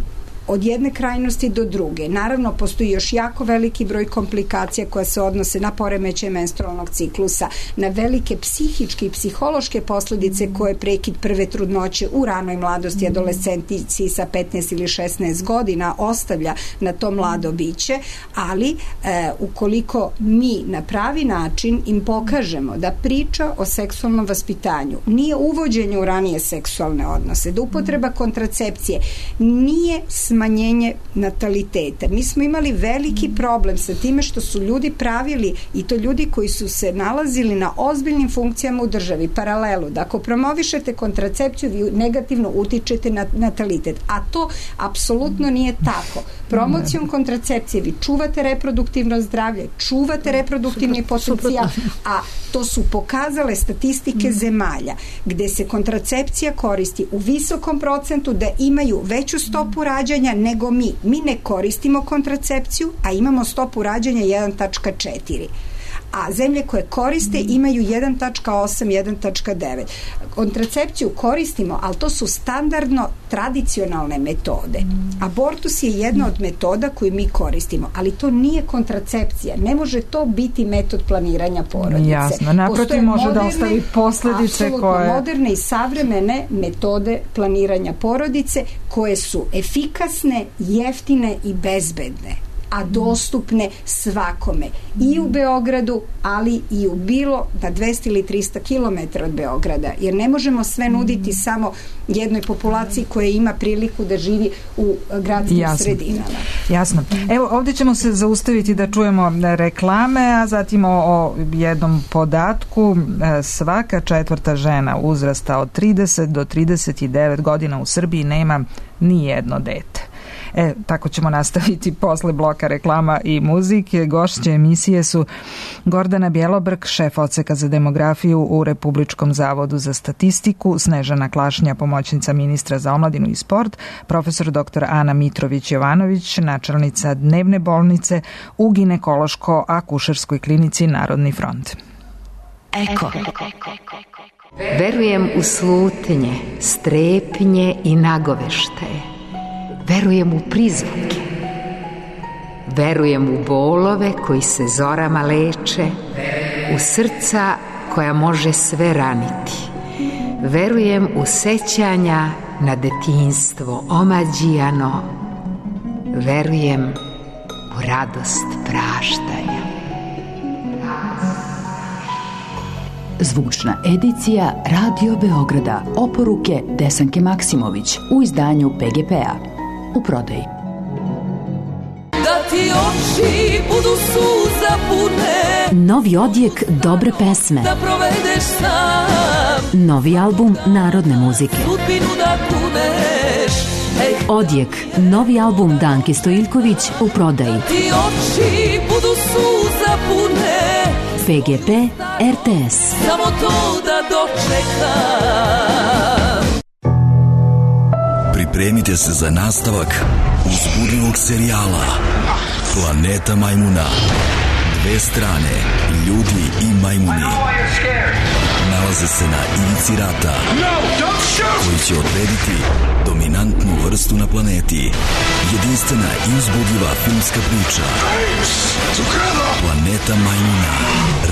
Speaker 3: od jedne krajnosti do druge. Naravno, postoji još jako veliki broj komplikacija koja se odnose na poremećaj menstrualnog ciklusa, na velike psihičke i psihološke posledice koje prekid prve trudnoće u ranoj mladosti, adolescentici sa petnaest ili šesnaest godina ostavlja na to mlado biće, ali e, ukoliko mi na pravi način im pokažemo da priča o seksualnom vaspitanju nije uvođenje u ranije seksualne odnose, da upotreba kontracepcije nije smanjenje nataliteta. Mi smo imali veliki problem sa time što su ljudi pravili, i to ljudi koji su se nalazili na ozbiljnim funkcijama u državi, paralelu, da ako promovišete kontracepciju vi negativno utičete na natalitet, a to apsolutno nije tako. Promocijom kontracepcije vi čuvate reproduktivno zdravlje, čuvate reproduktivni potencijal, a to su pokazale statistike zemalja gde se kontracepcija koristi u visokom procentu, da imaju veću stopu rađanja nego mi. Mi ne koristimo kontracepciju, a imamo stopu rađanja jedan zarez četiri. A zemlje koje koriste imaju jedan zarez osam, jedan zarez devet. Kontracepciju koristimo, ali to su standardno tradicionalne metode. Abortus je jedna od metoda koju mi koristimo, ali to nije kontracepcija. Ne može to biti metod planiranja porodice.
Speaker 1: Jasno, naprotiv može moderne, da ostavi posledice koje...
Speaker 3: moderne i savremene metode planiranja porodice koje su efikasne, jeftine i bezbedne, a dostupne svakome. I u Beogradu, ali i u bilo na dvesta ili trista kilometara od Beograda. Jer ne možemo sve nuditi samo jednoj populaciji koja ima priliku da živi u gradskim Jasno. sredinama.
Speaker 1: Jasno. Evo, ovdje ćemo se zaustaviti da čujemo reklame, a zatim o, o jednom podatku. Svaka četvrta žena uzrasta od trideset do trideset devet godina u Srbiji nema ni jedno dete. E, tako ćemo nastaviti posle bloka reklama i muzike. Gošće emisije su Gordana Bjelobrk, šef odseka za demografiju u Republičkom zavodu za statistiku, Snežana Klašnja, pomoćnica ministra za omladinu i sport, profesor doktor Ana Mitrović-Jovanović, načelnica dnevne bolnice u ginekološko-akušerskoj klinici Narodni front.
Speaker 5: Eko. Verujem u slutnje, strepnje i nagoveštaje. Verujem u prizvuke, verujem u bolove koji se zorama leče, u srca koja može sve raniti. Verujem u sećanja na detinjstvo omađijano, verujem u radost praštanja.
Speaker 6: Zvučna edicija Radio Beograda, oporuke Desanke Maksimović u izdanju P G P-a. U prodaji.
Speaker 7: Da ti oči budu suza pune,
Speaker 6: novi odjek dobre pesme,
Speaker 7: da provedeš sam,
Speaker 6: novi album narodne muzike,
Speaker 7: sudbinu da kuneš. Ej.
Speaker 6: Odjek, novi album Danke Stojiljković u prodaji.
Speaker 7: Da ti oči budu suza pune,
Speaker 6: P G P R T S.
Speaker 7: Samo to da dočekam.
Speaker 8: Pripremite se za nastavak uzbudljivog serijala Planeta majmuna. Dve strane, ljudi i majmuni, nalaze se na ivici rata koji će odrediti dominantnu vrstu na planeti. Jedinstvena i uzbudljiva filmska priča Planeta majmuna.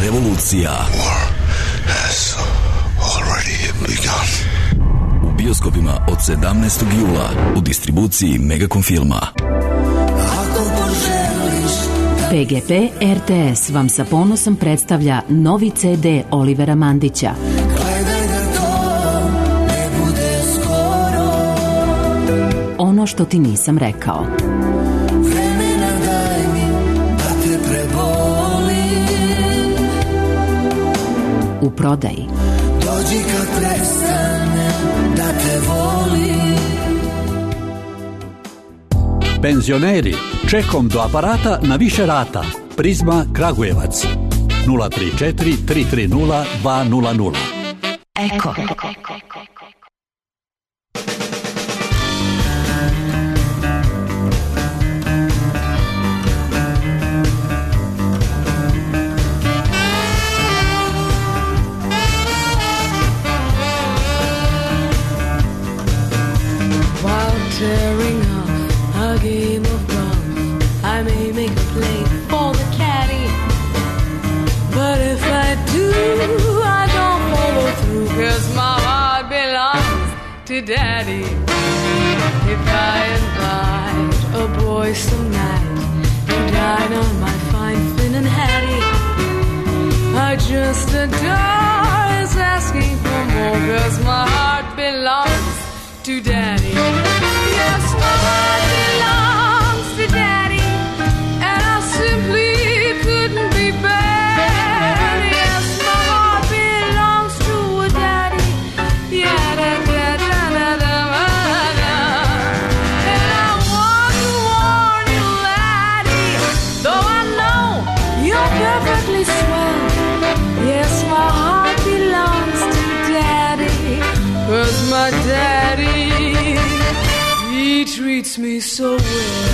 Speaker 8: Revolucija. U bioskopima od sedamnaestog jula u distribuciji Megacom filma.
Speaker 6: P G P R T S vam sa ponosom predstavlja novi C D Olivera Mandića. Ono što ti nisam rekao. U prodaji.
Speaker 7: Dođi kad prestane da te volim.
Speaker 9: Penzioneri, čekom do aparata na više rata. Prizma Kragujevac nula tri četiri tri tri nula dva nula nula.
Speaker 5: Eko.
Speaker 7: Tearing up game of golf. I may make a play for the caddy, but if I do, I don't follow through, 'cause my heart belongs to Daddy. If I invite a boy some night to dine on my fine Finn and Hattie, I just adore his asking for more, 'cause my heart belongs to Daddy. Yes, my heart belongs to Daddy, and I simply couldn't be bad. Yes, my heart belongs to a Daddy. Yeah, da da da da da da. And I want to warn you, laddie, though I know you're perfectly swell. Yes, my heart belongs to Daddy, 'cause my daddy, he treats me so well.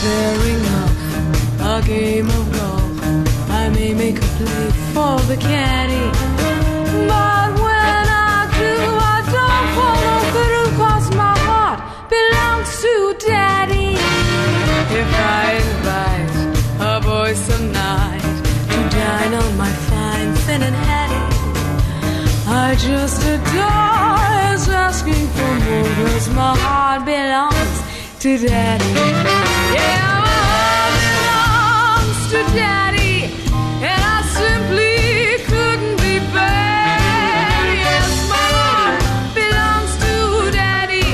Speaker 7: Tearing up a game of golf, I may make a play for the caddy, but when I do, I don't follow through, 'cause my heart belongs to Daddy. If I invite a boy some night to dine on my fine Finn and Hattie, I just adore his asking for more, 'cause my heart belongs to Daddy. Yeah, my heart belongs to Daddy, and I simply couldn't be bad. Yes, my heart belongs to Daddy.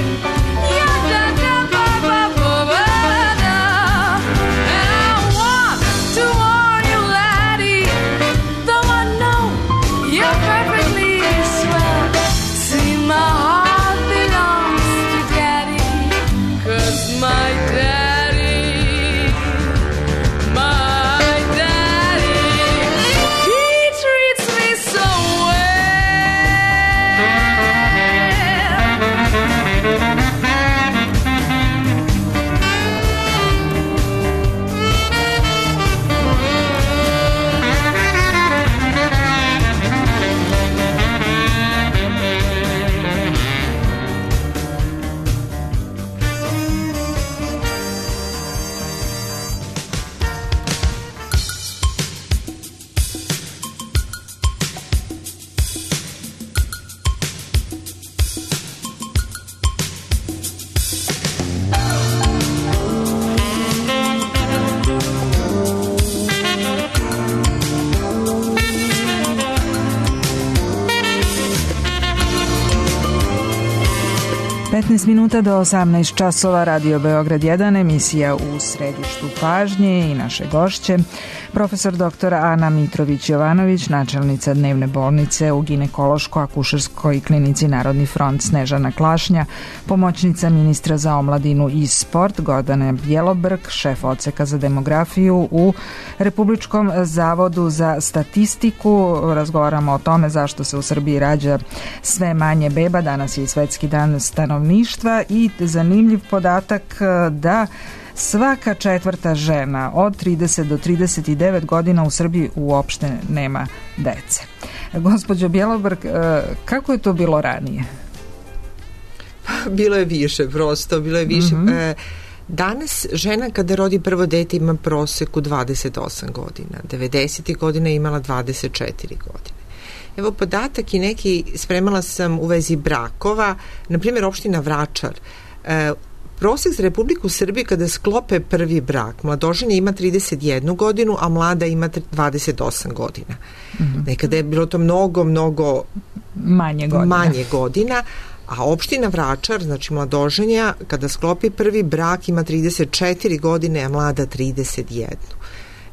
Speaker 7: Yeah, da da ba ba ba ba da. And I want to warn you, laddie, though I know you're perfectly swell. See, my heart belongs to Daddy, 'cause my daddy, my daddy, he treats me so
Speaker 1: petnaest minuta do osamnaest časova, Radio Beograd jedan, emisija U središtu pažnje i naše gošće, profesor doktor Ana Mitrović-Jovanović, načelnica dnevne bolnice u ginekološko-akušerskoj klinici Narodni front Snežana Klašnja, pomoćnica ministra za omladinu i sport Gordana Bjelobrk, šef odseka za demografiju u Republičkom zavodu za statistiku. Razgovaramo o tome zašto se u Srbiji rađa sve manje beba. Danas je i Svetski dan stanovništva i zanimljiv podatak da svaka četvrta žena od trideset do trideset devet godina u Srbiji uopšte nema dece. Gospođo Bjelobrk, kako je to bilo ranije?
Speaker 2: Bilo je više, prosto, bilo je više. Mm-hmm. Danas žena kada rodi prvo dete ima proseku dvadeset osam godina, devedesetih godina je imala dvadeset četiri godine. Evo podatak i neki, spremala sam u vezi brakova, na primjer opština Vračar, e, prosek za Republiku Srbiju kada sklope prvi brak, mladoženja ima trideset jednu godinu, a mlada ima dvadeset osam godina. Mm-hmm. Nekada je bilo to mnogo, mnogo
Speaker 1: manje godina.
Speaker 2: Manje godina, a opština Vračar, znači mladoženja, kada sklopi prvi brak ima trideset četiri godine, a mlada trideset jednu.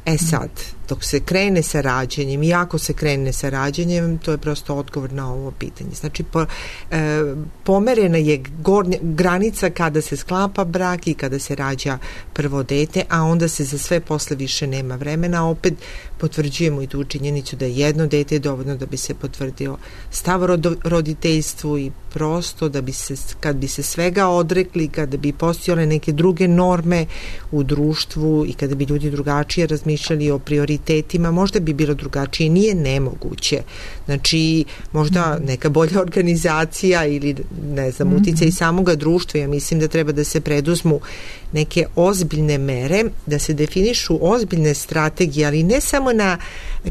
Speaker 2: E sad, dok se krene sa rađanjem i ako se krene sa rađanjem, to je prosto odgovor na ovo pitanje. Znači, po, e, pomerena je gornja, granica kada se sklapa brak i kada se rađa prvo dete, a onda se za sve posle više nema vremena. Opet potvrđujemo i tu činjenicu da je jedno dete dovoljno da bi se potvrdio stav rodo, roditeljstvu i prosto da bi se, kad bi se svega odrekli, kada bi postojale neke druge norme u društvu i kada bi ljudi drugačije razmišljali o prioritetima, možda bi bilo drugačije. Nije nemoguće. Znači, možda neka bolja organizacija ili, ne znam, uticaj i samoga društva. Ja mislim da treba da se preduzmu neke ozbiljne mere, da se definišu ozbiljne strategije, ali ne samo na,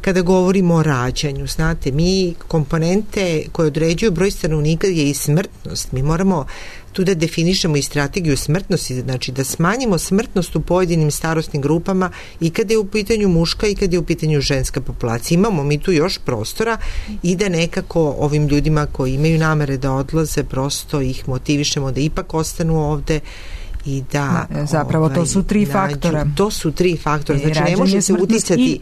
Speaker 2: kada govorimo o rađanju. Znate, mi komponente koje određuju broj stanovnika je i smrtnost. Mi moramo tu da definišemo i strategiju smrtnosti, znači da smanjimo smrtnost u pojedinim starosnim grupama i kada je u pitanju muška i kada je u pitanju ženska populacija. Imamo mi tu još prostora i da nekako ovim ljudima koji imaju namere da odlaze, prosto ih motivišemo da ipak ostanu ovde i da
Speaker 1: zapravo ovaj, to su tri nađu, faktora.
Speaker 2: To su tri faktora. Znači ne može se uticati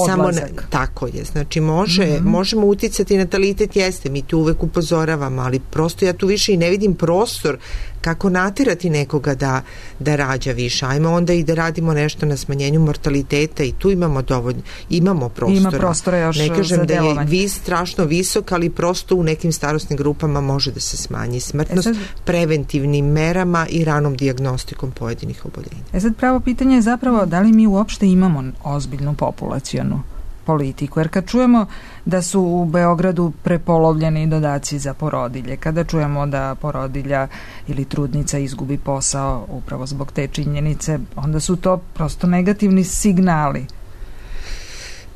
Speaker 2: samo na, tako je. Znači može, mm-hmm. možemo uticati, natalitet jeste, mi tu uvek upozoravamo, ali prosto ja tu više i ne vidim prostor kako natirati nekoga da, da rađa više. Ajmo onda i da radimo nešto na smanjenju mortaliteta i tu imamo dovoljno, imamo prostora.
Speaker 1: Ima prostora još
Speaker 2: ne kažem
Speaker 1: za
Speaker 2: da je
Speaker 1: delovanje.
Speaker 2: vis strašno visok, ali prosto u nekim starosnim grupama može da se smanji smrtnost e sad, preventivnim merama i ranom dijagnostikom pojedinih oboljenja.
Speaker 1: E sad pravo pitanje je zapravo da li mi uopšte imamo ozbiljnu populacionu politiku, jer kad čujemo da su u Beogradu prepolovljeni dodaci za porodilje, kada čujemo da porodilja ili trudnica izgubi posao upravo zbog te činjenice, onda su to prosto negativni signali.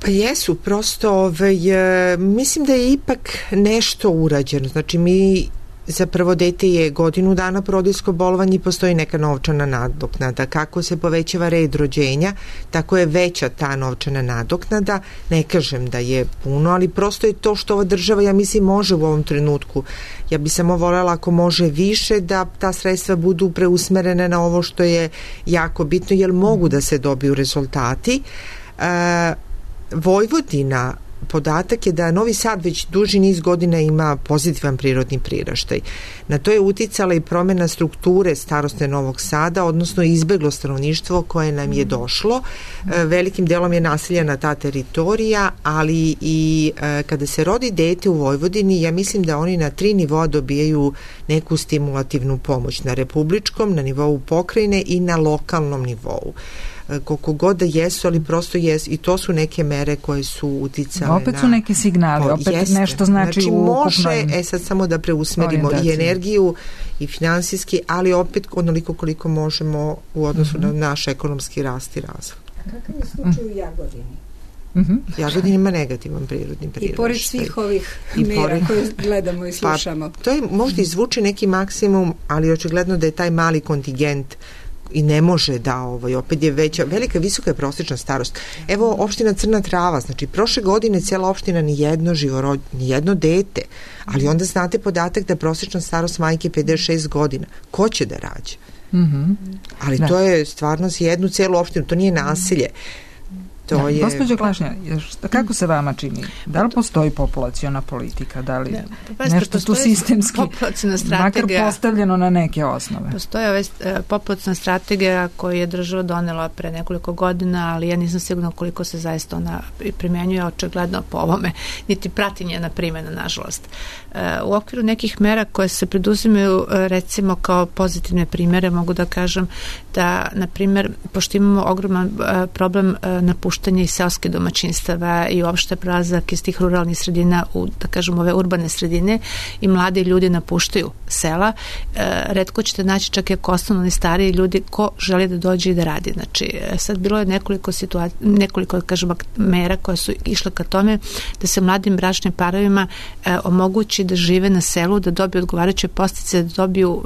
Speaker 2: Pa jesu, prosto ovaj, mislim da je ipak nešto urađeno. Znači mi za prvo dete je godinu dana porodiljsko bolovanje i postoji neka novčana nadoknada. Kako se povećava red rođenja, tako je veća ta novčana nadoknada. Ne kažem da je puno, ali prosto je to što ova država, ja mislim, može u ovom trenutku. Ja bi samo voljela ako može više da ta sredstva budu preusmerene na ovo što je jako bitno, jer mogu da se dobiju rezultati. E, Vojvodina, podatak je da Novi Sad već duži niz godina ima pozitivan prirodni priraštaj. Na to je uticala i promjena strukture starosne Novog Sada, odnosno izbeglo stanovništvo koje nam je došlo. Velikim delom je naseljena ta teritorija, ali i kada se rodi dete u Vojvodini, ja mislim da oni na tri nivoa dobijaju neku stimulativnu pomoć. Na republičkom, na nivou pokrajine i na lokalnom nivou. Koliko god da jesu, ali prosto jesu i to su neke mere koje su uticale.
Speaker 1: Opet su neki signali,
Speaker 2: na,
Speaker 1: opet
Speaker 2: jeste. Nešto znači,
Speaker 1: znači
Speaker 2: u može, e sad samo da preusmerimo i energiju i finansijski, ali opet onoliko koliko možemo u odnosu mm-hmm. na naš ekonomski rast i razvoj.
Speaker 3: Kakav je slučaj u Jagodini?
Speaker 2: Mm-hmm. Jagodin ima negativan prirodni priraštaj.
Speaker 3: I pored svih ovih mera pored... koje gledamo i slušamo.
Speaker 2: Pa, to je možda izvuče neki maksimum, ali očigledno da je taj mali kontingent i ne može da, ovaj, opet je veća, velika, visoka je prosječna starost. Evo, opština Crna Trava, znači, prošle godine cijela opština ni jedno živorod, ni jedno dete, ali onda znate podatak da je prosječna starost majke pedeset šest godina. Ko će da rađe?
Speaker 1: Mm-hmm.
Speaker 2: Ali da. To je stvarno za jednu cijelu opštinu, to nije nasilje. To
Speaker 1: da,
Speaker 2: je...
Speaker 1: Gospođo Klašnja, kako se vama čini? Da li postoji populaciona politika? Da li
Speaker 4: da,
Speaker 1: nešto tu sistemski makar postavljeno na neke osnove?
Speaker 4: Postoji ove, populaciona strategija koju je država donela pre nekoliko godina, ali ja nisam sigurna koliko se zaista ona primjenjuje očigledno po ovome, niti prati njena primjena, nažalost. U okviru nekih mera koje se preduzimaju, recimo kao pozitivne primjere, mogu da kažem da, na primjer, pošto imamo ogroman problem napuštanja napuštanje iz seoske domaćinstava i uopšte prelazak iz tih ruralnih sredina u, da kažem, ove urbane sredine i mladi ljudi napuštaju sela. E, retko ćete naći čak i ako ostanu oni stariji ljudi ko želi da dođe i da radi. Znači, sad bilo je nekoliko situacija, nekoliko, kažem, mera koje su išle ka tome da se mladim bračnim parovima e, omogući da žive na selu, da dobiju odgovarajuće podsticaje, da dobiju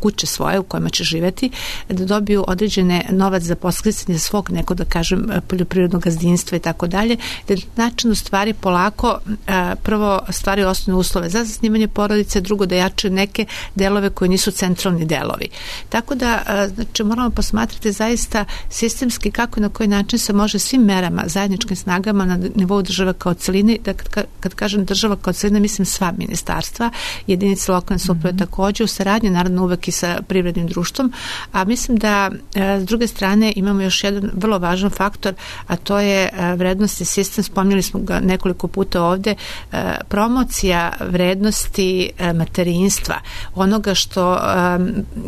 Speaker 4: kuće svoje u kojima će živeti, da dobiju određene novac za podsticanje svog nekog, da kažem, poljoprivrednog gazdinstva i tako dalje, da načinu stvari polako a, prvo stvari osnovne uslove za zasnivanje porodice, drugo da jačaju neke delove koji nisu centralni delovi. Tako da, a, znači, moramo posmatrati zaista sistemski kako i na koji način se može svim merama, zajedničkim snagama na nivou države kao celine, da kad, kad kažem država kao celina, mislim sva ministarstva, jedinice lokalne samouprave mm-hmm. takođe, u saradnji naravno uvek i sa privrednim društvom, a mislim da a, s druge strane imamo još jedan vrlo važan faktor, a to je a, vrednosti sistem, spomnjali smo ga nekoliko puta ovde, a, promocija vrednosti a, materinstva, onoga što a,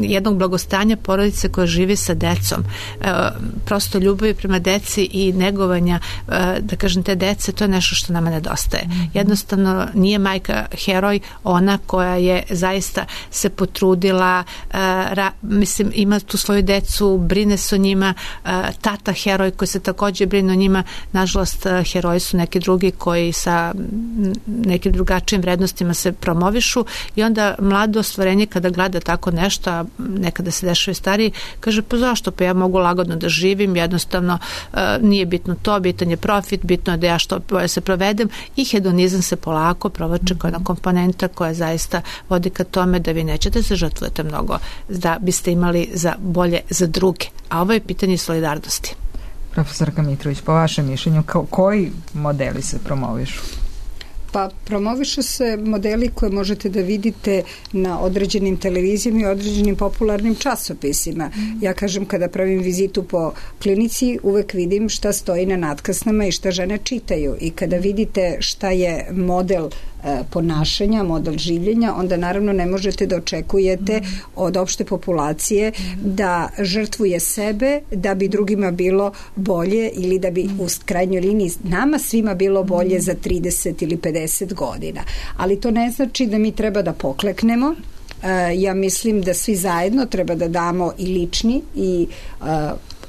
Speaker 4: jednog blagostanja porodice koja živi sa decom, a, prosto ljubavi prema deci i negovanja, a, da kažem, te dece, to je nešto što nama nedostaje. Mm-hmm. Jednostavno nije majka heroj, ona koja je zaista se potrudila, a, ra, mislim, ima tu svoju decu, brine se o njima, a, tata heroj koji se takođe brine o njima, nažalost heroji su neki drugi koji sa nekim drugačijim vrednostima se promovišu i onda mlado stvorenje kada gleda tako nešto, a nekada se dešava i stariji, kaže pa zašto, pa ja mogu lagodno da živim, jednostavno a, nije bitno to, bitan je profit, bitno je da ja što bolje se provedem i hedonizam se polako provače kao jedna komponenta koja zaista vodi ka tome da vi nećete se žrtvujete mnogo da biste imali za bolje za druge. A ovo je pitanje solidarnosti.
Speaker 1: Profesorka Mitrović, po vašem mišljenju, ko, koji modeli se promovišu?
Speaker 3: Pa promovišu se modeli koje možete da vidite na određenim televizijama i određenim popularnim časopisima. Ja kažem, kada pravim vizitu po klinici, uvek vidim šta stoji na natkasnama i šta žene čitaju. I kada vidite šta je model ponašanja, model življenja, onda naravno ne možete da očekujete od opšte populacije da žrtvuje sebe da bi drugima bilo bolje ili da bi u krajnjoj liniji nama svima bilo bolje za trideset ili pedeset godina. Ali to ne znači da mi treba da pokleknemo. Ja mislim da svi zajedno treba da damo i lični i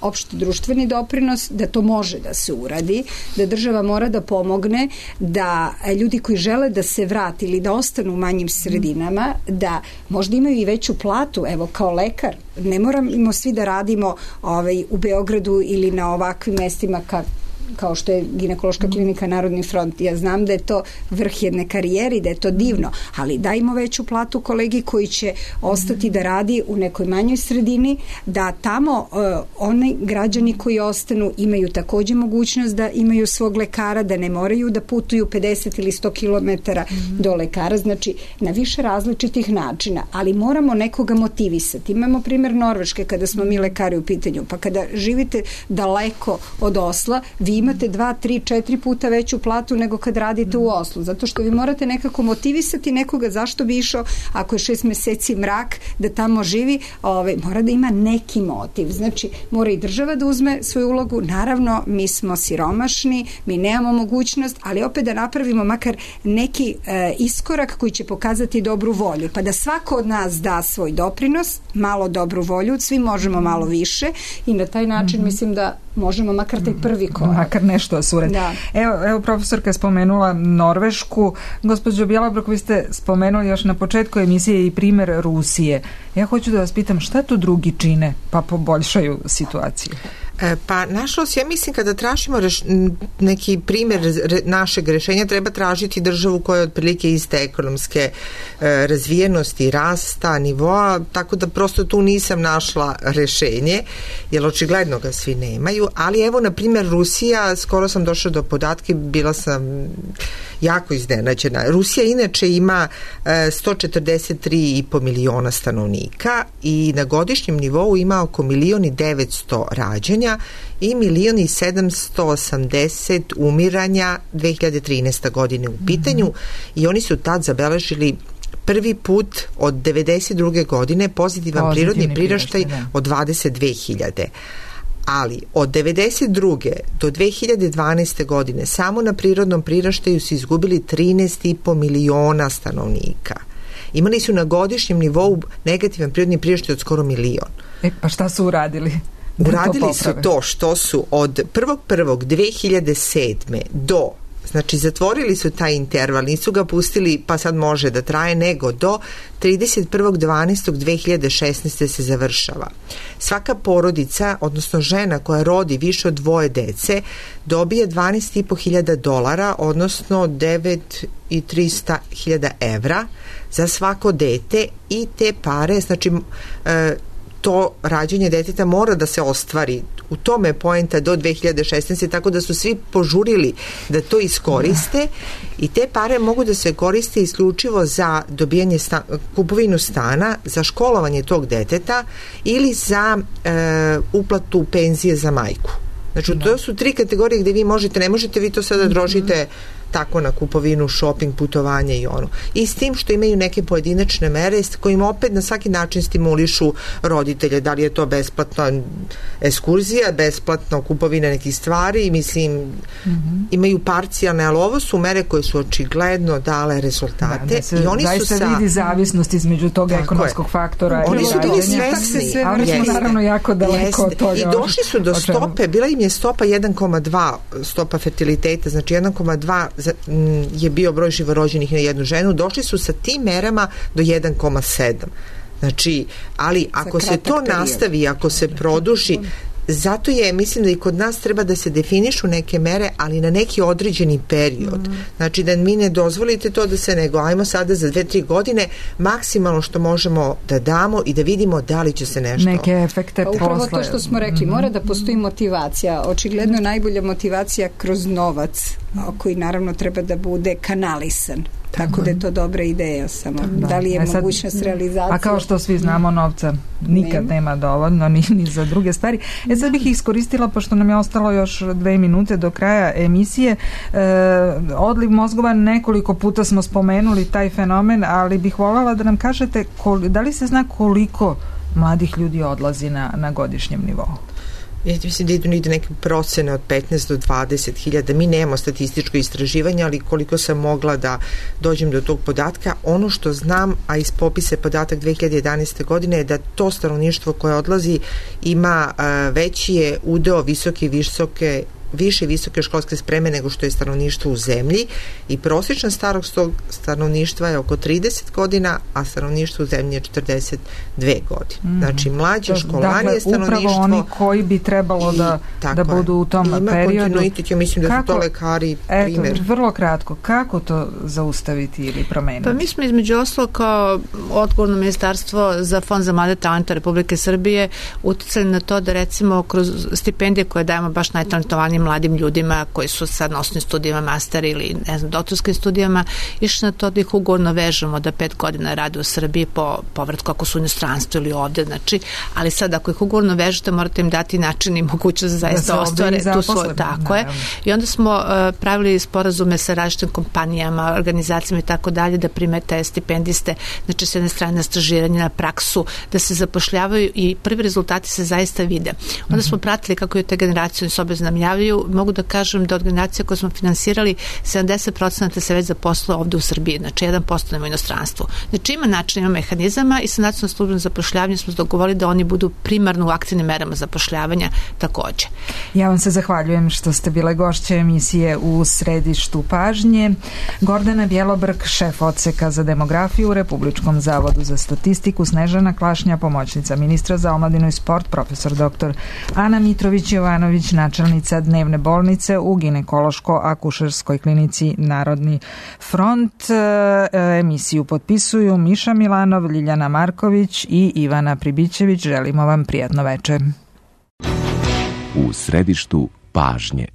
Speaker 3: opšti društveni doprinos, da to može da se uradi, da država mora da pomogne, da ljudi koji žele da se vrati ili da ostanu u manjim sredinama, da možda imaju i veću platu, evo kao lekar, ne moramo svi da radimo ovaj, u Beogradu ili na ovakvim mestima kako kao što je ginekološka klinika Narodni front. Ja znam da je to vrh jedne karijere, da je to divno, ali dajmo veću platu kolegi koji će ostati da radi u nekoj manjoj sredini, da tamo uh, oni građani koji ostanu imaju takođe mogućnost da imaju svog lekara, da ne moraju da putuju pedeset ili sto kilometara do lekara, znači na više različitih načina, ali moramo nekoga motivisati. Imamo primjer Norveške kada smo mi lekari u pitanju, pa kada živite daleko od Osla, vi imate dva, tri, četiri puta veću platu nego kad radite u Oslu, zato što vi morate nekako motivisati nekoga zašto bi išao ako je šest meseci mrak da tamo živi, ovaj, mora da ima neki motiv, znači mora i država da uzme svoju ulogu, naravno mi smo siromašni, mi nemamo mogućnost, ali opet da napravimo makar neki e, iskorak koji će pokazati dobru volju, pa da svako od nas da svoj doprinos, malo dobru volju, svi možemo malo više i na taj način mm-hmm. mislim da možemo makar taj prvi korak.
Speaker 1: Makar nešto osurati.
Speaker 3: Da.
Speaker 1: Evo, evo profesorka je spomenula Norvešku. Gospođo Bjelabrok, vi ste spomenuli još na početku emisije i primer Rusije. Ja hoću da vas pitam šta tu drugi čine pa poboljšaju situaciju?
Speaker 2: Pa nažalost, ja mislim kada tražimo reš, neki primjer re, našeg rešenja, treba tražiti državu koja je otprilike iste ekonomske e, razvijenosti, rasta, nivoa, tako da prosto tu nisam našla rešenje, jer očigledno ga svi nemaju, ali evo na primjer Rusija, skoro sam došla do podatke, bila sam jako iznenađena. Rusija inače ima e, sto četrdeset tri i po miliona stanovnika i na godišnjem nivou ima oko milion i devetsto rađanja i milion i sedamsto osamdeset umiranja dve hiljade trinaeste. godine u pitanju mm-hmm. i oni su tad zabeležili prvi put od devedeset druge. godine pozitivan Pozitivni prirodni priraštaj od dvadeset dve hiljade. Ali od devedeset druge do dve hiljade dvanaeste. godine samo na prirodnom priraštaju su izgubili trinaest i po miliona stanovnika. Imali su na godišnjem nivou negativan prirodni priraštaj od skoro milion.
Speaker 1: E, pa šta su uradili?
Speaker 2: Uradili su to što su od prvog prvog dve hiljade sedme. do, znači zatvorili su taj interval, nisu ga pustili pa sad može da traje, nego do trideset prvog dvanaestog dve hiljade šesnaeste. se završava. Svaka porodica, odnosno žena koja rodi više od dvoje dece, dobije dvanaest i po hiljada dolara, odnosno devet i trista hiljada evra za svako dete, i te pare, znači e, to rađenje deteta mora da se ostvari. U tome je poenta do dve hiljade šesnaeste. tako da su svi požurili da to iskoriste i te pare mogu da se koriste isključivo za dobijanje sta, kupovinu stana, za školovanje tog deteta ili za e, uplatu penzije za majku. Znači, to su tri kategorije gde vi možete, ne možete vi to sada drožite tako na kupovinu, shopping, putovanje i ono. I s tim što imaju neke pojedinačne mere s kojim opet na svaki način stimulišu roditelje, da li je to besplatna ekskurzija, besplatno kupovina nekih stvari, mislim, mm-hmm. imaju parcijalne, ali ovo su mere koje su očigledno dale rezultate. Da, da se, i oni su sa... vidi
Speaker 1: zavisnost između tog tako ekonomskog je. faktora.
Speaker 2: Oni su bili svesni.
Speaker 1: Ali smo naravno jako daleko od toga.
Speaker 2: I došli su do stope, bila im je stopa jedan zarez dva, stopa fertiliteta, znači jedan zarez dva je bio broj živorođenih na jednu ženu, došli su sa tim merama do jedan zarez sedam. Znači, ali ako se to period. nastavi, ako se produži, zato je, mislim da i kod nas treba da se definišu neke mere, ali na neki određeni period. Mm. Znači da mi ne dozvolite to da se nego, ajmo sada za dve, tri godine maksimalno što možemo da damo i da vidimo da li će se nešto...
Speaker 1: Neke efekte
Speaker 3: pa
Speaker 1: posle.
Speaker 3: Upravo to što smo rekli, mora da postoji motivacija. Očigledno najbolja motivacija kroz novac, koji naravno treba da bude kanalisan. Tako da je to dobra ideja, samo da, da li je e sad, mogućnost realizacije.
Speaker 1: A kao što svi znamo, novca nikad nema, nema dovoljno ni, ni za druge stvari. E sad bih iskoristila, pošto nam je ostalo još dve minute do kraja emisije, e, odliv mozgova, nekoliko puta smo spomenuli taj fenomen, ali bih voljela da nam kažete koli, da li se zna koliko mladih ljudi odlazi na, na godišnjem nivou?
Speaker 2: Ja mislim da idu negde neke procene od petnaest do dvadeset hiljada. Mi nemamo statističko istraživanje, ali koliko sam mogla da dođem do tog podatka, ono što znam, a iz popisa podatak dve hiljade jedanaeste. godine je da to stanovništvo koje odlazi ima uh, veći je udeo visoke i visoke više visoke školske spreme nego što je stanovništvo u zemlji i prosječna starost tog stanovništva je oko trideset godina, a stanovništvo u zemlji je četrdeset dve godine. Mm. Znači, mlađe, školanije dakle, stanovništvo...
Speaker 1: Upravo oni koji bi trebalo da, i, da budu u tom ima periodu. Ima kontinuitet,
Speaker 2: ja mislim da kako, su to lekari primjer.
Speaker 1: Eto, vrlo kratko, kako to zaustaviti ili promeniti?
Speaker 4: Pa mi smo između oslo kao odgovorno ministarstvo za Fond za mlade talente Republike Srbije uticali na to da recimo kroz stipendije koje dajemo baš najtalentovanijim mladim ljudima koji su sad na osnovnim studijama, master ili ne znam, doktorskim studijama, išli na to da ih ugovorno vežemo da pet godina rade u Srbiji po povratku ako su u inostranstvu ili ovde, znači, ali sad ako ih ugovorno vežete morate im dati način i mogućnost da zaista da ostvare tu svoju, tako je. I onda smo uh, pravili sporazume sa različitim kompanijama, organizacijama i tako dalje da prime te stipendiste, znači s jedne strane na stažiranje, na praksu, da se zapošljavaju i prvi rezultati se zaista vide. Onda mm-hmm. smo pratili kako je te generacije s obe znamljavaju. Mogu da kažem da od generacije koje smo finansirali sedamdeset procenata se već zaposlilo ovde u Srbiji, znači jedan posto u inostranstvu. Znači ima način, ima mehanizama i sa nacionalnom službom zapošljavanja smo dogovorili da oni budu primarno u aktivnim merama zapošljavanja takođe.
Speaker 1: Ja vam se zahvaljujem što ste bile gošće emisije u središtu pažnje. Gordana Bjelobrk, šef odseka za demografiju u Republičkom zavodu za statistiku, Snežana Klašnja, pomoćnica ministra za omladinu i sport, profesor doktor Ana Mitrović-Jovanović, načelnica dnevne bolnice u ginekološko-akušerskoj klinici Narodni front. Emisiju potpisuju Miša Milanov, Ljiljana Marković i Ivana Pribićević. Želimo vam prijatno veče.
Speaker 10: U središtu pažnje.